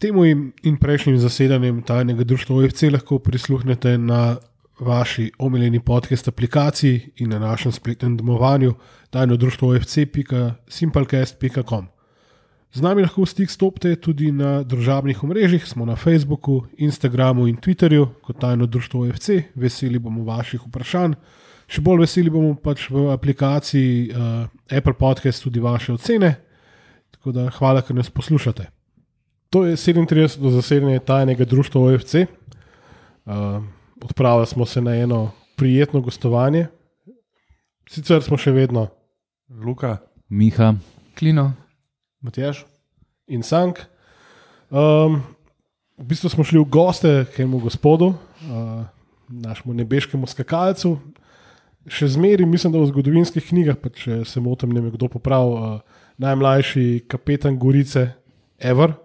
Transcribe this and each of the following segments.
Temu in prejšnjim zasedanjem tajnega društva OFC lahko prisluhnete na vaši omiljeni podcast aplikaciji in na našem spletnem domovanju tajnodruštvoofc.simplecast.com. Z nami lahko v stik stopite tudi na družabnih omrežjih, smo na Facebooku, Instagramu in Twitterju kot Tajno društvo OFC. Veseli bomo vaših vprašanj. Še bolj veseli bomo pač v aplikaciji Apple Podcast tudi vaše ocene. Tako da hvala, ker nas poslušate. To je 37. zasedanje Tajnega društva OFC. Odpravili smo se na eno prijetno gostovanje. Sicer smo še vedno Luka, Miha, Klino, Matjaž in Sank. V bistvu smo šli v goste k enemu gospodu, našemu nebeškemu skakalcu. Še zmeri, mislim, da v zgodovinskih knjigah, pa če se motim, ne me kdo popravi, najmlajši kapetan Gorice ever.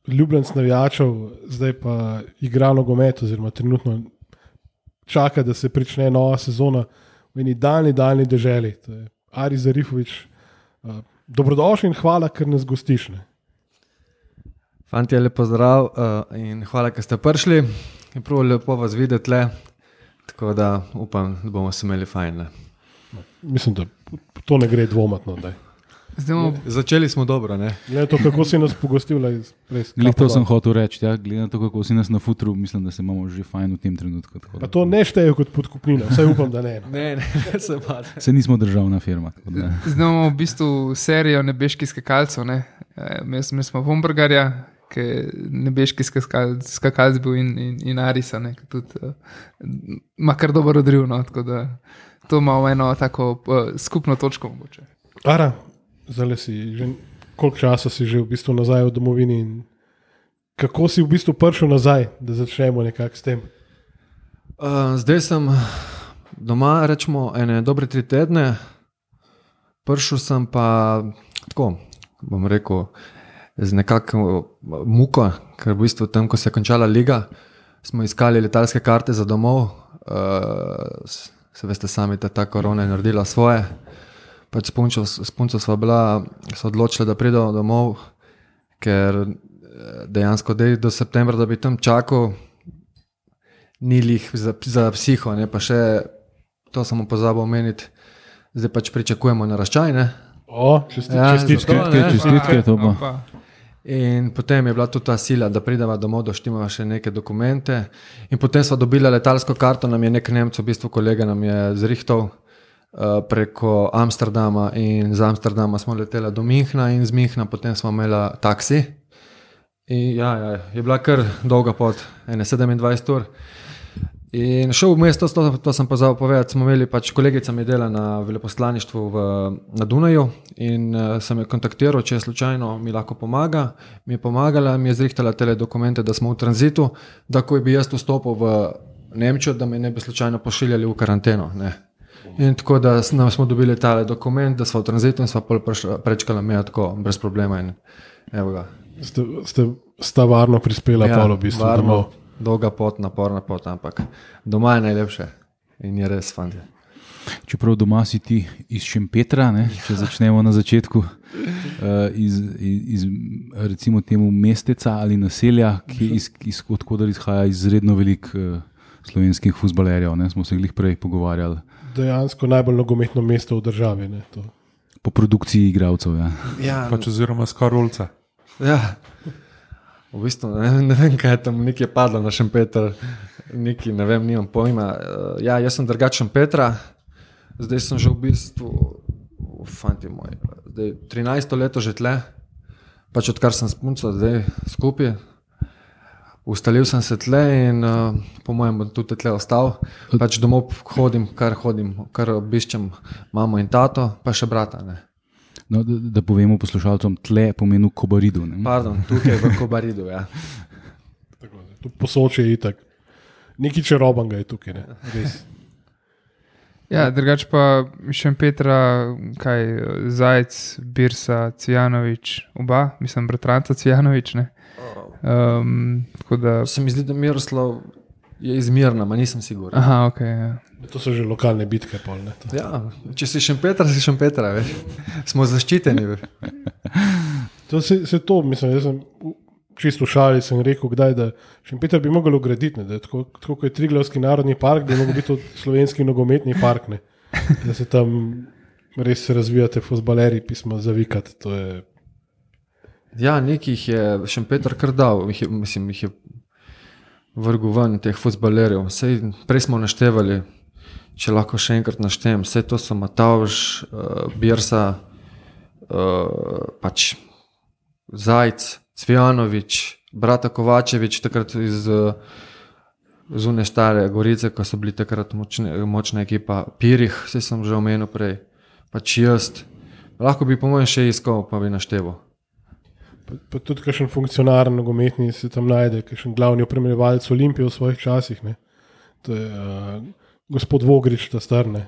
Ljubljenec navijačev, zdaj pa igra nogomet, oziroma trenutno čaka, da se prične nova sezona v eni daljni deželi. To je Ari Zarifović. Dobrodošli in hvala, ker nas gostiš. Ne? Fantje, lepo zdrav in hvala, ker ste prišli. Je prav lepo vas videti le, tako da upam, da bomo se imeli fajn. Ne? Mislim, da to ne gre dvomati. No, začeli smo dobro, ne? Glede to, kako si nas pogostil. Glede to sem hotel reči, ja? Glede to, kako si nas na futru, mislim, da se imamo že fajn v tem trenutku. Pa to ne šteje kot podkupnina, vsaj upam, da ne. Ne, se pa. Se nismo državna firma. Zdaj imamo v bistvu serijo nebeških skakalcev. Ne? Mi smo Vombergarja, ki je nebeški skakalc bil in Arisa, ki tudi ima kar dober odriv. No? Tako da to imamo eno tako skupno točko mogoče. Ara, zdaj si že koliko časa si že v bistvu nazaj v domovini in kako si v bistvu prišel nazaj, da začnemo nekako s tem? Zdaj sem doma, rečemo, ene dobre 3 tedne. Prišel sem pa tako, bom rekel, z nekako muko, ker v bistvu tam, ko se je končala liga, smo iskali letalske karte za domov. Se veste sami, da ta korona je naredila svoje. Pač s punco sva odločila, da pridejo domov, ker dejansko do septembra, da bi tam čakal, ni lih za psiho, ne? Pa še to sem pozabil omeniti, zdaj pač pričakujemo naraščaj, ne? Čestitke, to pa. In potem je bila tudi ta sila, da prideva domov, da štimava še neke dokumente in potem sva dobila letalsko karto, nam je nek Nemec, v bistvu kolega nam je zrihtal preko Amsterdama in z Amsterdama smo letela do Minhna in z Minhna potem smo imela taksi. In je bila kar dolga pot, 27 ur. In šel v mesto, to sem pozabil povedati, smo imeli pač kolegica mi dela na veleposlaništvu na Dunaju in sem jo kontaktiral, če je slučajno mi lahko pomaga. Mi je pomagala, mi je zrihtala tele dokumente, da smo v tranzitu, da ko bi jaz vstopil v Nemčijo, da me ne bi slučajno pošiljali v karanteno. Ne. In tako da smo dobili tale dokument, da smo v tranzitu in smo prečkala meja tako, brez problema. In evo ga. Sta varno prispela polo v bistvu domov. Dolga pot, naporna pot, ampak doma je najlepše in je res fant. Čeprav doma si ti iz Šempetra, ne? Če začnemo na začetku, iz recimo temu mesteca ali naselja, odkudar izhaja izredno velik slovenskih fuzbalerjev, ne? Smo se glih prej pogovarjali. Dejansko najbolj nogometno mesto v državi. Ne? To. Po produkciji igralcev, ja. Pač oziroma skorulca. Ja. V bistvu ne vem, kaj je tam, nekaj je padlo na Šempeter, nekaj, ne vem, nimam pojma. Ja, jaz sem drugač Šempetra, zdaj sem že v bistvu, fanti moji, zdaj 13. leto že tle, pač odkar sem s punco zdaj skupaj, ustalil sem se tle in po mojem bom tudi tle ostal, pač domov hodim, kar obiščem mamo in tato, pa še brata, ne. No, da povemo poslušalcem, tle pomeni v Kobaridu. Ne? Pardon, tukaj v Kobaridu, ja. Tu Posočje je itak. Neki čarobanga je tukaj, ne? Res. Ja, drugače pa Šempetra, Zajec, Birsa, Cvijanović, oba, mislim, bratranca Cvijanović, ne? Tako da... Se mi zdi, da Miroslav je iz Mirna, ma nisem siguren. Aha, ok, ja. To so že lokalne bitke pol, ne? Ja, če si Šempetra, veš. Smo zaščiteni, veš. To se to, mislim, jaz sem čisto šali, sem rekel, kdaj, da Šempeter bi mogel ugraditi, ne, da tako kot je Triglavski narodni park, da bi mogel biti to slovenski nogometni park, ne, da se tam res razvijate fuzbaleri, pismo zavikati, to je... Ja, nekih je Šempeter kar dal, mislim, jih je vrgu ven teh fuzbalerjev. Sej prej smo naštevali, če lahko še enkrat naštejem, vse to so Matavž, Birsa, pač Zajc, Cvijanovič, brata Kovačevič, takrat iz Zune Stare Gorice, ko so bili takrat močna ekipa, Pirih, vse sem že omenil prej, pač jaz. Lahko bi po mojem še iskal, pa bi našteval. Pa tudi kakšen funkcionar nogometni se tam najde, kakšen glavni opremljevalec Olimpije v svojih časih. Ne? To je gospod Vogrič, ta star. Ne,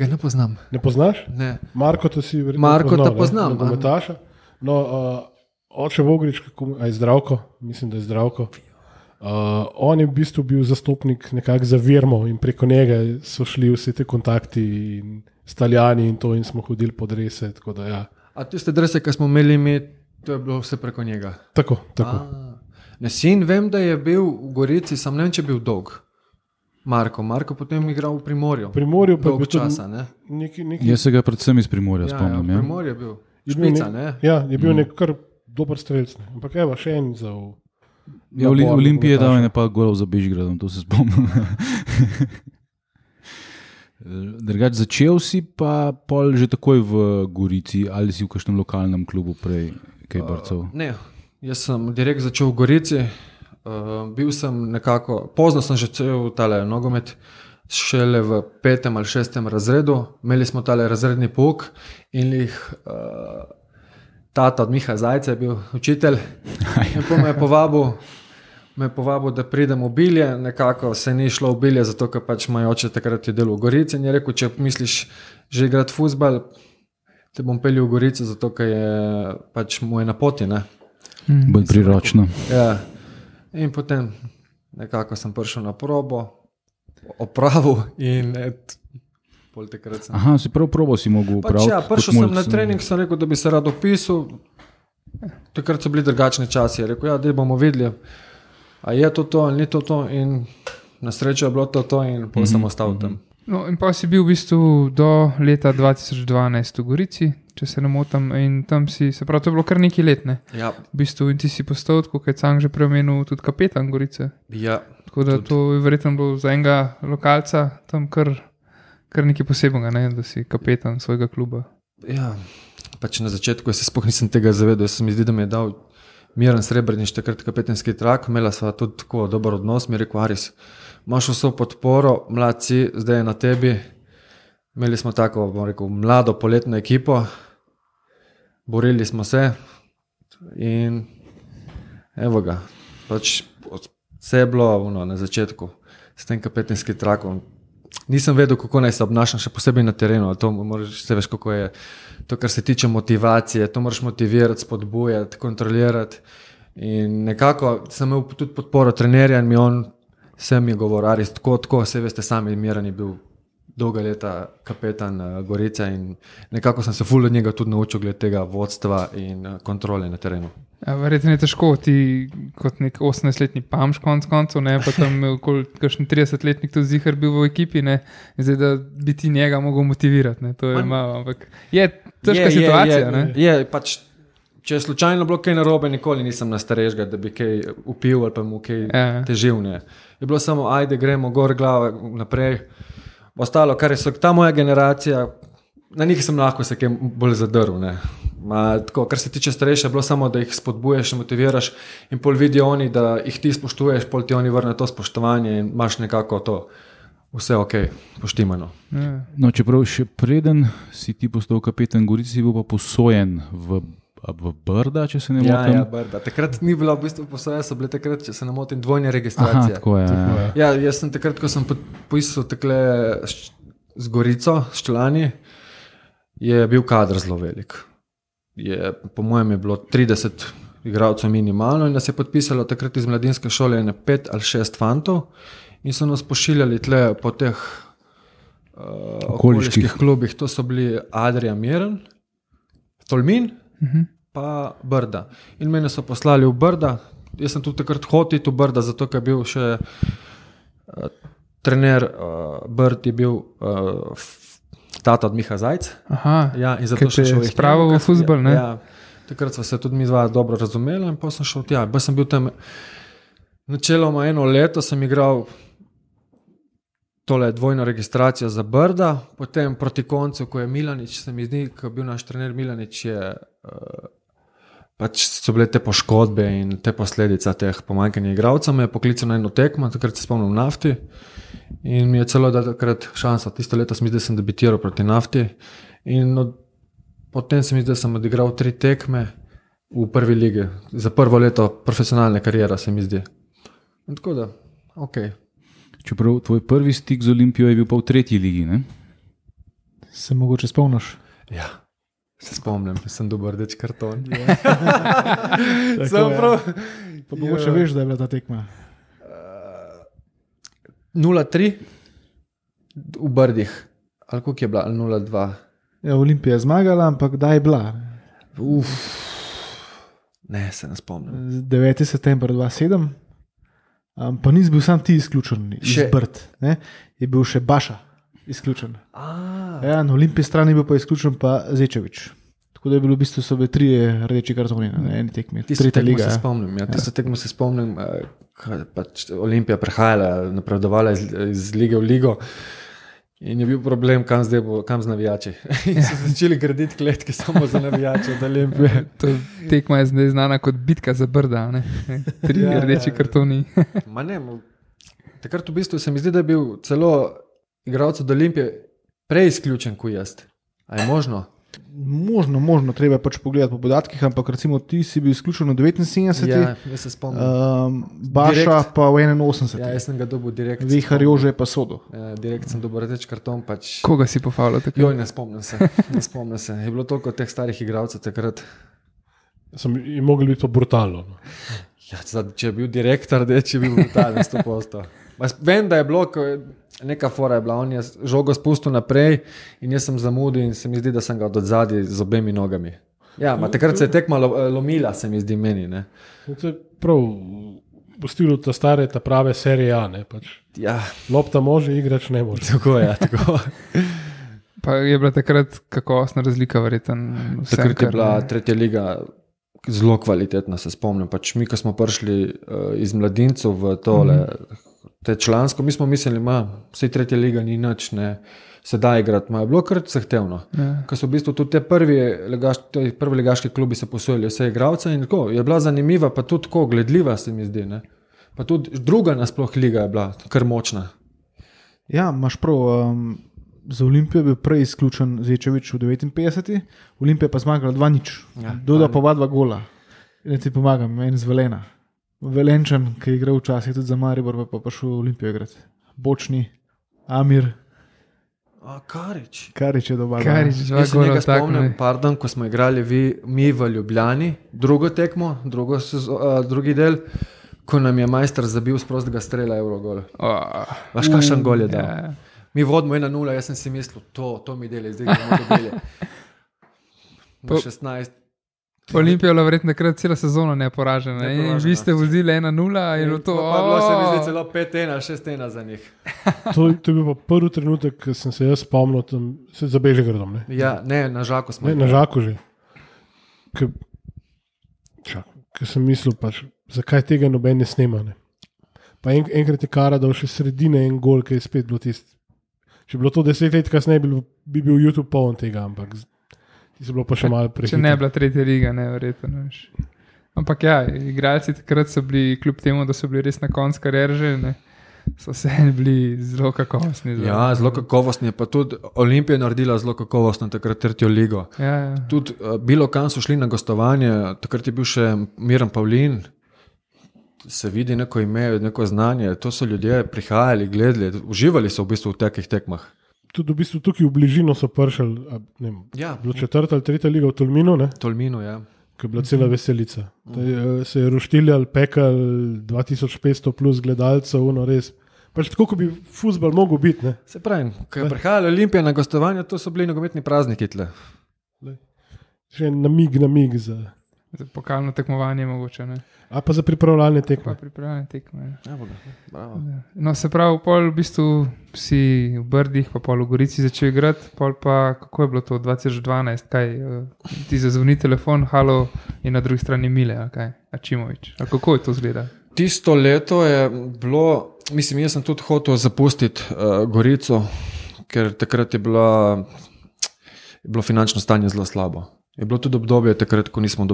ga ne poznam. Ne poznaš? Ne. Marko, to si verjetno Marko poznal, ta poznam. Nogometaša. No, oče Vogrič, je Zdravko, mislim, da je Zdravko. On je v bistvu bil zastopnik nekako za Virmo in preko njega so šli vsi te kontakti in s Talijani in to in smo hodili pod rese, tako da ja. A tiste drese, ki smo imeli mi, to je bilo vse preko njega? Tako. Ne, sin vem, da je bil v Gorici, sam ne vem, če je bil dolg. Marko potem igral v Primorju. Primorju pa dolg je bil časa, ne? Jaz se ga predvsem iz Primorja spomnim. Ja, v Primorju je bil. Špica, ne? Ja, je bil nek kar dober strelc. Ne? Ampak evo, še en za... Ja, Olimpije je dal ene pa golov za Bežigradom, to se spomnim. Drugač, začel si pa pol že takoj v Gorici ali si v kakšnem lokalnem klubu prej kaj brcal? Ne, jaz sem direkt začel v Gorici, bil sem nekako, pozno sem že cel tale nogomet, šele v 5. ali 6. razredu, imeli smo tale razredni pouk in tata od Miha Zajca je bil učitelj in pa me je povabil, da pridem v Bilje, nekako se ni šlo v Bilje, zato ker pač moj oče takrat je delal v Gorici in je rekel, če misliš že igrati fuzbal, te bom peljal v Gorico, zato ker je pač mu je na poti, ne. Bolj priročno. Ja, in potem nekako sem prišel na probo, opravil in pol takrat sem... Aha, si prav probo si mogel upraviti. Pač ja, prišel sem na trening, sem rekel, da bi se rad opisal, takrat so bili drugačni časi, je rekel, ja, da bomo videli, a je to ali ni to in na srečo je bilo to in pol sem ostal tam. No, in pa si bil v bistvu do leta 2012 v Gorici, če se ne motim, in tam si, se pravi, to je bilo kar nekaj let, ne? Ja. V bistvu, in ti si postal, kot je Cang že preomenil, tudi kapetan Gorice. Ja. Tako da tudi. To je verjetno bilo za enega lokalca tam kar nekaj posebnega, ne? Da si kapetan svojega kluba. Ja, pač na začetku se sploh nisem tega zavedal, se mi zdi, da mi je dal Miran Srebrnič, takrat kapetanski trak, imela sva tudi tako dober odnos, mi je rekel, Aris, imaš vso podporo, mlad si, zdaj je na tebi. Imeli smo tako, bom rekel, mlado poletno ekipo, borili smo se in evo ga, pač vse je bilo na začetku s tem kapetanskim trakom. Nisem vedel, kako naj se obnašam, še posebej na terenu, to moraš, se veš, kako je to, kar se tiče motivacije, to moraš motivirati, spodbujati, kontrolirati in nekako sem imel tudi podporo trenerja in on vse mi je govoril, Aris, tako, vse veste sami, Miran je bil dolga leta kapetan Gorice in nekako sem se ful od njega tudi naučil glede tega vodstva in kontrole na terenu. Ja, verjetno je težko, ti kot nek 18-letni pamš koncev, ne, pa tam kakšen 30-letnik tudi zihar bil v ekipi, ne, zdaj da bi ti njega mogel motivirati, ne, to je malo, ampak je težka situacija, ne. Je, pač, če je slučajno bilo kaj narobe, nikoli nisem na starejšega, da bi kaj upil ali pa mu kaj težil, ne. Je bilo samo, ajde, gremo gor glava naprej. Ostalo, kar je ta moja generacija, na njih sem lahko se kaj bolj zadrl. Tako, kar se tiče starejše, je bilo samo, da jih spodbuješ, motiviraš in pol vidijo oni, da jih ti spoštuješ, pol ti oni vrne to spoštovanje in imaš nekako to vse ok, poštimano. No, čeprav še preden si ti postal kapetan Gorici, si bil pa posojen v Brda, če se ne motim. Ja, Brda. Takrat ni bila v bistvu posoja, so bile takrat, če se ne motim, dvojne registracije. Aha, tako je. Ja, jaz sem takrat, ko sem poisal takle z Gorico, s člani, je bil kader zelo velik. Po mojem je bilo 30 igralcev minimalno in nas je podpisalo takrat iz mladinske šole 5 ali 6 fantov in so nas pošiljali tle po teh okoliških klubih. To so bili Adria Miren, Tolmin, pa Brda. In mene so poslali v Brda. Jaz sem tudi takrat hotel v Brda, zato ker je bil še trener Brd je bil tata od Miha Zajc. Aha, ja, in zato še šel spravo v fuzbol, ne? Ja, takrat sva se tudi mi dva dobro razumela in pa sem šel tja. Pa sem bil tam načeloma 1 leto, sem igral tole dvojno registracijo za Brda, potem proti koncu, ko je Milanič, se mi zdi, ko je bil naš trener Milanič, je pač so bile te poškodbe in te posledica teh pomanjkanja igralcev, me je poklical na eno tekmo, takrat se spomnim Nafti in mi je celo dal takrat šanso. Tisto leto se mi zdi, da sem debitiral proti Nafti in potem se mi zdi, da sem odigral 3 tekme v prvi ligi, za prvo leto profesionalne karijere, se mi zdi. In tako da, okej. Čeprav tvoj prvi stik z Olimpijo je bil pa v 3. ligi, ne? Se mogoče spomniš? Ja, se spomnim, sem dobil rdeč karton. Sem prav. Pa mogoče veš, da je bila ta tekma. 0-3 v Brdih. Ali koliko je bila? 0-2. Ja, Olimpija je zmagala, ampak kdaj je bila? Ne, se ne spomnim. 9. september 2007. Pa nisi bil sam ti izključen iz Brd, ne? Je bil še Baša izključen. Ja, na Olimpiji strani je bil pa izključen pa Zečevič. Tako da je bilo v bistvu so bile 3 rdeči kartoni na eni tekmi. Tisto tekmo se spomnim, tisto tekmo se spomnim, pač Olimpija prehajala, napredovala iz lige v ligo in je bil problem, kam z navijači. In so začeli graditi kletke samo za navijače od Olimpije. To tekma je zdaj znana kot bitka za Brda, ne? 3 rdeči kartoni. Ma ne, takrat v bistvu se mi zdi, da je bil celo igralec od Olimpije prej izključen kot jaz. A je možno? Možno, treba pač pogledati po podatkih, ampak recimo ti si bil izključen v 79. Ja, jaz se spomnim. Baša Direkt, pa v 81. Ja, jaz sem ga dobil direkt. Vihar Jože pa Sodo. Ja, direkt sem dobil rdeč karton. Pač... Koga si pofavljal takrat? Joj, ne spomnim se. Je bilo toliko teh starih igralcev takrat. Je moglo biti to brutalno. Ja, če je bil direktor, če je bil brutalen 100%. Vem, da je bilo, neka fora je bila, on je žogo spustil naprej in jaz sem zamudil in se mi zdi, da sem ga od odzadaj z obemi nogami. Ja, takrat se je tekma lomila, se mi zdi meni. Ne. To je prav v stilu ta stare, ta prave serije A. Ne, pač. Ja. Lopta može, igrač ne može. Tako je, tako. Pa je bila takrat kakovostna razlika, verjetno. Takrat je bila 3. liga zelo kvalitetna, se spomnim. Pač mi, ko smo prišli iz mladincev v tole, te člansko, mi smo mislili, vse 3. liga ni nič, ne, se da igrati, je bilo kar zahtevno. Ja. Ko so v bistvu tudi te prvi ligaški klubi se posojili vse igralce in tako, je bila zanimiva, pa tudi tako gledljiva, se mi zdi, ne. Pa tudi druga nasploh liga je bila kar močna. Ja, imaš prav, za Olimpijo je bil prej izključen Zečevič v 59. Olimpija pa zmagala 2-0. Ja, Doda pa 2 gola. In ti pomagam, en z Velena. Velenčan, ki je igral včasih tudi za Maribor, pa prišel v Olimpijo igrati. Bočni, Amir. Karič je dobar. Jaz se nekaj spomnim, ko smo igrali mi v Ljubljani, drugo tekmo, drugi del, ko nam je majster zabil z prostega strela Eurogol. Vaš kakšen gol je dal? Yeah. Mi vodimo 1-0, jaz sem si mislil, to mi deli, zdaj bomo dobili. 16. Olimpija je bila verjetno takrat cela sezona neporažena. In vi ste vozili 1-0 in to. Pa bilo se mi zdi celo 5-1, 6-1 za njih. To je bil pa prvi trenutek, ko sem se jaz spomnil, tam se za Bežigradom. Ja, ne, na Žaku smo. Ne, na Žaku že. Ker sem mislil, pač, zakaj tega noben ne snema. Ne. Pa enkrat je Kara dal še sredine en gol, ki je spet bilo tisti. Če bi bilo to 10 let kasneje, bi bil YouTube poln tega, ampak ti so bilo pa še malo prehitro. Če ne bila 3. liga, ne, verjetno. Ampak ja, igralci takrat so bili, kljub temu, da so bili res na koncu kariere že, ne, so se bili zelo kakovostni. Ja, zelo kakovostni, pa tudi Olimpija je naredila zelo kakovostno takrat 3. ligo. Ja. Tudi bilo kam so šli na gostovanje, takrat je bil še Miran Pavlin, se vidi neko ime, neko znanje, to so ljudje prihajali, gledali, uživali so v bistvu v takih tekmah. Tudi v bistvu tukaj v bližino so prišli, bilo 4. ali 3. liga v Tolminu, ne? Tolminu, ja. Ko je bila cela veselica. Se je roštiljal, pekal 2500 plus gledalcev, res. Pač tako, ko bi fuzbal mogel biti, ne? Se pravi, ko je prihajala Olimpija na gostovanje, to so bili nogometni prazniki tle. Še namig za... Za pokalno tekmovanje mogoče, ne. A pa za pripravljalne Pa tekme. pripravljene tekme. Ja, bravo. No, se pravi, pol v bistvu si v Brdih, pa pol v Gorici začel igrati, pol pa kako je bilo to 2012, kaj ti zazvoni telefon, halo in na drugi strani Mile, ali kaj, Ačimović. Ali kako je to izgleda? Tisto leto je bilo, mislim, jaz sem tudi hotel zapustiti Gorico, ker takrat je bilo finančno stanje zelo slabo. Je bilo tudi obdobje takrat, ko nismo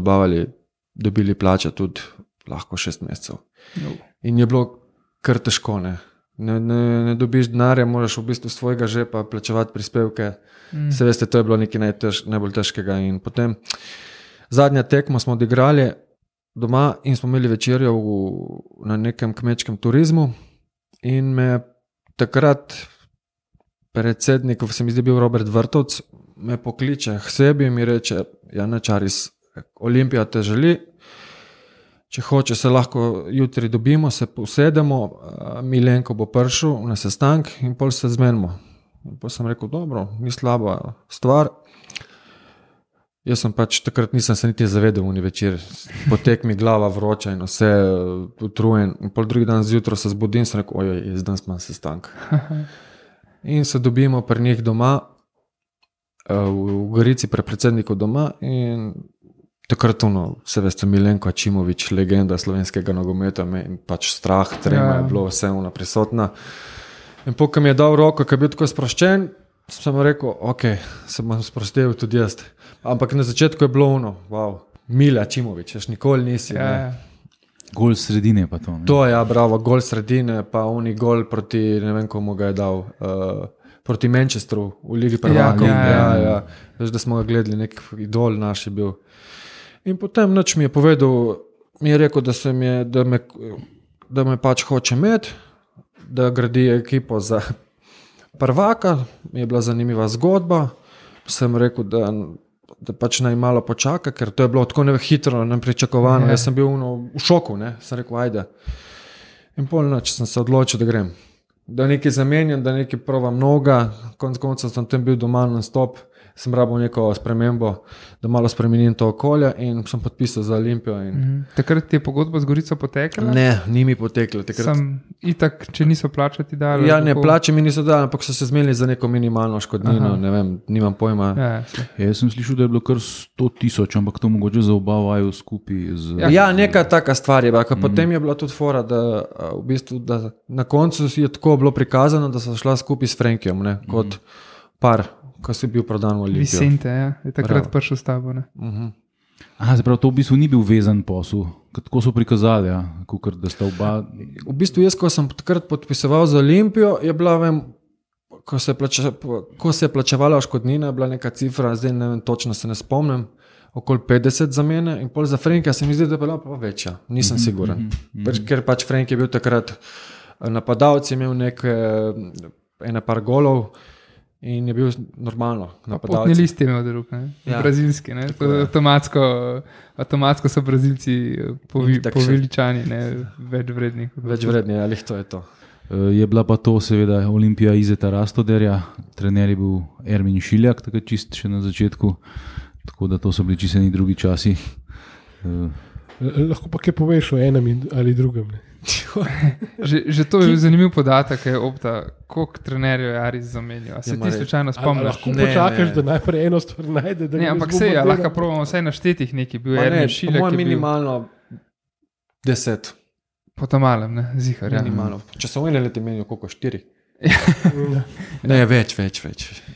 dobili plače tudi lahko 6 mesecev. No. In je bilo kar težko, ne. Ne dobiš denarja, moraš v bistvu svojega žepa plačevati prispevke. Se veste, to je bilo nekaj najbolj težkega. In potem zadnja tekmo smo odigrali doma in smo imeli večerjo na nekem kmečkem turizmu in me takrat predsednik, se mi zdi bil Robert Vrtovc, me pokliče k sebi in mi reče, Jana Čaris, Olimpija te želi, če hoče se lahko jutri dobimo, se usedemo, Milenko bo prišel na sestank in pol se zmenimo. In pol sem rekel, dobro, ni slaba stvar. Jaz sem pač takrat nisem se niti zavedel v večer, potek mi glava vroča in vse utrujen. In pol drugi dan zjutraj se zbudim in sem rekel, ojoj, danes imam sestank. In se dobimo pri njih doma, v Gorici pri predsedniku doma in takrat se veste, Milenko Ačimović, legenda slovenskega nogometa in pač strah, trema je bilo vse prisotna. In pokaj mi je dal roko, ko je bil tako sproščen, sem rekel, ok, se bom sprostil tudi jaz. Ampak na začetku je bilo wow, Mile Ačimović, ješ nikoli nisi. Gol sredine pa to. Ne? To je, bravo, gol sredine, pa oni gol proti, ne vem komu ga je dal, proti Manchesteru v Ligi prvakov. Ja. Veš, da smo ga gledali, nek idol naš je bil. In potem noč mi je povedal, mi je rekel, da me pač hoče imeti, da gradi ekipo za prvaka, mi je bila zanimiva zgodba, sem rekel, da pač naj malo počaka, ker to je bilo tako hitro, nepričakovano, jaz sem bil v šoku, ne? Sem rekel, ajde. In pol noč sem se odločil, da grem. Da nekaj zamenjam, da nekaj provam noga, konec konca sem tam bil doma non-stop, sem rabil neko spremembo, da malo spremenim to okolje in sem podpisal za Olimpijo. Takrat ti je pogodba z Gorico potekla? Ne, ni mi potekla. Sem itak, če niso plačati dali? Ja, ne, plače mi niso dali, ampak so se zmenili za neko minimalno škodnino, ne vem, nimam pojma. Jaz sem slišal, da je bilo kar 100,000, ampak to mogoče za oba vaju skupaj. Ja, neka taka stvar je bila, potem je bila tudi fora, da v bistvu, da na koncu je tako bilo prikazano, da so šla skupaj s Frankijom, ne, kot par, ko si bil prodan v Olimpijo. Vicente, ja, je takrat prišel s tabo, ne. Aha, zapravo to v bistvu ni bil vezan posel, tako so prikazali, ja, kukor, da sta oba. V bistvu jaz, ko sem takrat podpisoval za Olimpijo, je bila, vem, ko se je plačevala škodnina, je bila neka cifra, zdaj ne vem, točno se ne spomnim, okoli 50 za mene in pol za Frankija se mi zdi, da je bila pa večja, nisem siguren. Ker pač Frank je bil takrat napadalec, je imel ene par golov, in je bil normalno napadalec. Potni list je imel drug, ne? Ja. Brazilski, ne? Avtomatsko so Brazilci poveličani, ne? Več vredni. Več vredni, ali to je to. Je bila pa to seveda Olimpija Izeta Rastoderja, trener je bil Ermin Šiljak, tako čist še na začetku, tako da to so bili čisteni drugi časi. Lahko pa kaj poveš o enem ali drugem, ne? Že to je zanimiv podatek, koliko trenerjev je Aris zamenjal. Se ti slučajno spomniš? Lahko počakaš, da najprej eno stvar najde. Ne, ampak sej, lahko probamo vsaj naštetih nekaj. Bil je Ermin Šiljak. Po mojem minimalno 10. Po tam malem, ne, zihar. Minimalno. Če so ene leti menijo, koliko 4? Ne, več.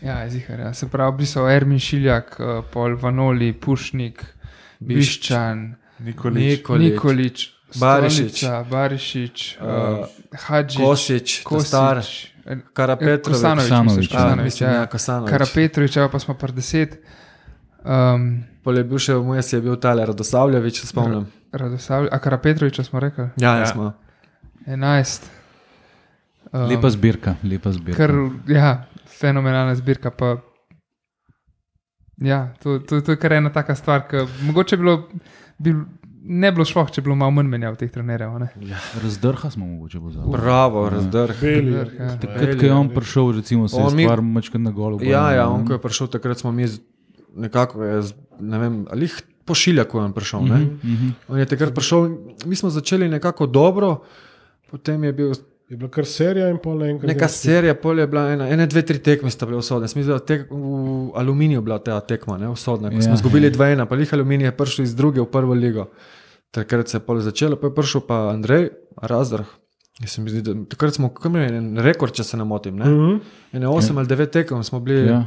Ja, zihar, ja. Se pravi, bili so Ermin Šiljak, Pol Vanoli, Pušnik, Biščan, Nikolić, Barišić, Hadžić, Kosić, Karapetrović, Karapetrović, pa smo par 10. Pol je bil še v Mojesi, je bil tale Radosavljević, spomnim. A Karapetrovića smo rekli? Ja, smo. 11. Lepa zbirka. Kar, ja, fenomenalna zbirka, pa ja, to je kar ena taka stvar, ki mogoče ne bilo šloh, če bilo malo manj menjav teh trenerjev. Ja. Razdrha smo mogoče pozabili. Bravo, Razdrh. Takrat, ko je on prišel, recimo, se je stvar mačkrat na golu. Ja, on ko je prišel, takrat smo mi nekako, ne vem, ali po Šiljaku je prišel. On je takrat prišel, mi smo začeli nekako dobro, potem je bil Je bila kar serija in pol naenkrat. neka serija, pol je bila ene, dve, tri tekme sta bile usodne. Mislim, da v Aluminiju bila ta tekma, ne, usodna. Ko smo izgubili 2-1, pa jih Aluminij je prišel iz druge v prvo ligo. Takrat se je pol začelo, pa je prišel pa Andrej Razdrah. Takrat smo imeli en rekord, če se ne motim. Ne? Ene 8 ali 9 tekem smo bili. Ja.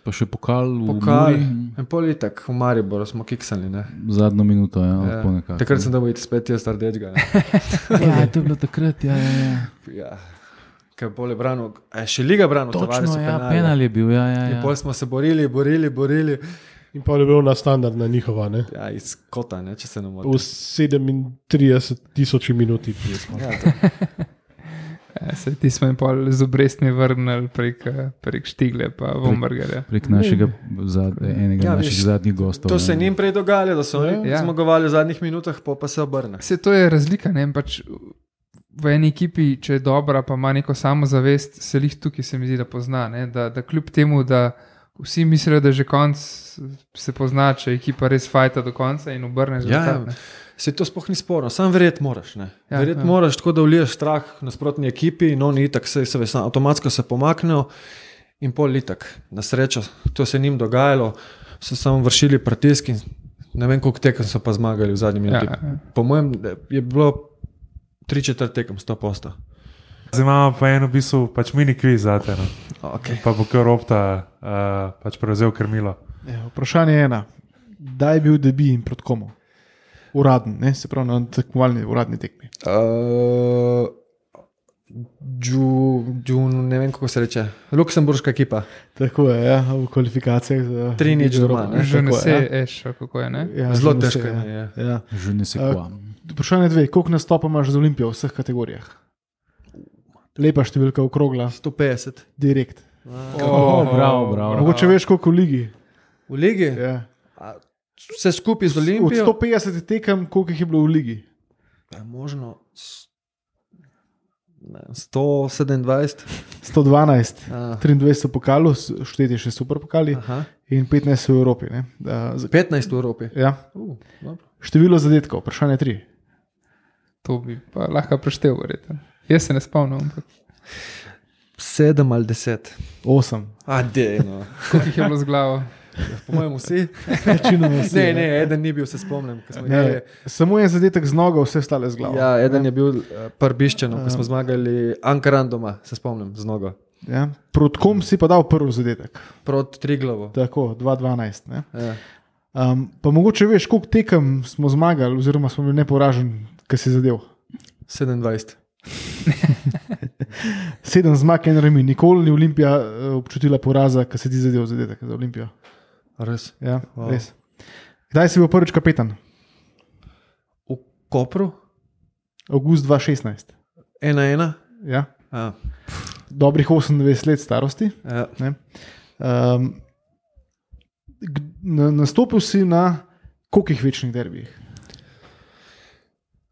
Pa še pokal v Muri. En pol itak v Mariboru smo kiksali. Ne? Zadnjo minuto, ja. Takrat sem dobil spet jaz rdečega. Ja, to je bilo takrat, ja. Ja. Kaj pol je branil, še liga branil. Točno, ja, penal je bil, ja. In pol smo se borili. In pa je bil na standardna njihova, ne? Ja, iz kota, ne, če se ne motim. V 37,000 minuti. Ti smo jim pol z obrestmi vrnili prek Štigle pa Vombergarja. Prek našega enega naših zadnjih gostov. To se je njim prej dogajalo, da so zmagovali v zadnjih minutah, pa se obrne. Vse to je razlika, ne, pač v eni ekipi, če je dobra, pa ima neko samozavest, se jih tukaj se mi zdi, da pozna, ne, da kljub temu, da vsi mislijo, da že konc se pozna, če ekipa res fajta do konca in obrne rezultat. Se to sploh ni sporno, sam verjeti moraš. Moraš tako, da vliješ strah nasprotni ekipi in oni itak se avtomatsko se pomaknejo in pol itak. Na srečo, to se njim dogajalo, so samo vršili pritisk in ne vem, koliko tekem so pa zmagali v zadnji minuti. Po mojem je bilo 3/4 tekem 100%. Zdaj imamo pa eno v bistvu pač mini kviz zate. No. Okay. Pa bo kar Opta pač prevzel krmilo. Ja, vprašanje je ena. Kdaj je bil debi in proti komu? Uraden, ne? Se pravi na tekmovalni uradni tekmi. Ne vem, kako se reče. Luksemburška ekipa. Tako je, ja, v kvalifikacijah. 3-0 doma. Že ne se eš, kako je, ne? Ja, zelo težko je. Ja. Že ne se kva. Vprašanje 2. Koliko nastopa imaš za Olimpijo v vseh kategorijah? Lepa številka okrogla. 150. Direkt. Bravo. Mogoče veš, koliko v ligi? V ligi? Ja. Vse skupaj z Olimpijo? Od 150 tekem, koliko jih je bilo v ligi? Ja, možno 127. 112. 23 so pokali, šteti še super pokali. In 15 v Evropi. Ne? 15 v Evropi? Ja. Število zadetkov, vprašanje 3. To bi pa lahko preštel, verjetno. Jaz se ne spomnim. 7 ali 10. 8. Adeno. Koliko jih je bilo z glavo? Po mojem vsi? Vsi ne, eden ni bil, se spomnim. Samo en zadetek z nogo, vse stale z glavo. Ja, eden je bil Prbiščeno, ko smo zmagali Ankaran doma, se spomnim, z nogo. Ja. Proti kom si pa dal prvi zadetek? Proti Triglavu. Tako, 2-12. Ja. Pa mogoče veš, koliko tekem smo zmagali, oziroma smo bili neporaženi, kaj si zadev? 27. 7 zmag in remi. Nikoli ni Olimpija občutila poraza, kaj si ti zadev zadetek za Olimpijo. Res? Ja, res. Kdaj si bil prvič kapetan? V Kopru? Avgust 2016. 1-1? Ja. Dobrih 28 let starosti. Ja. Nastopil si na kolikih večnih derbijih?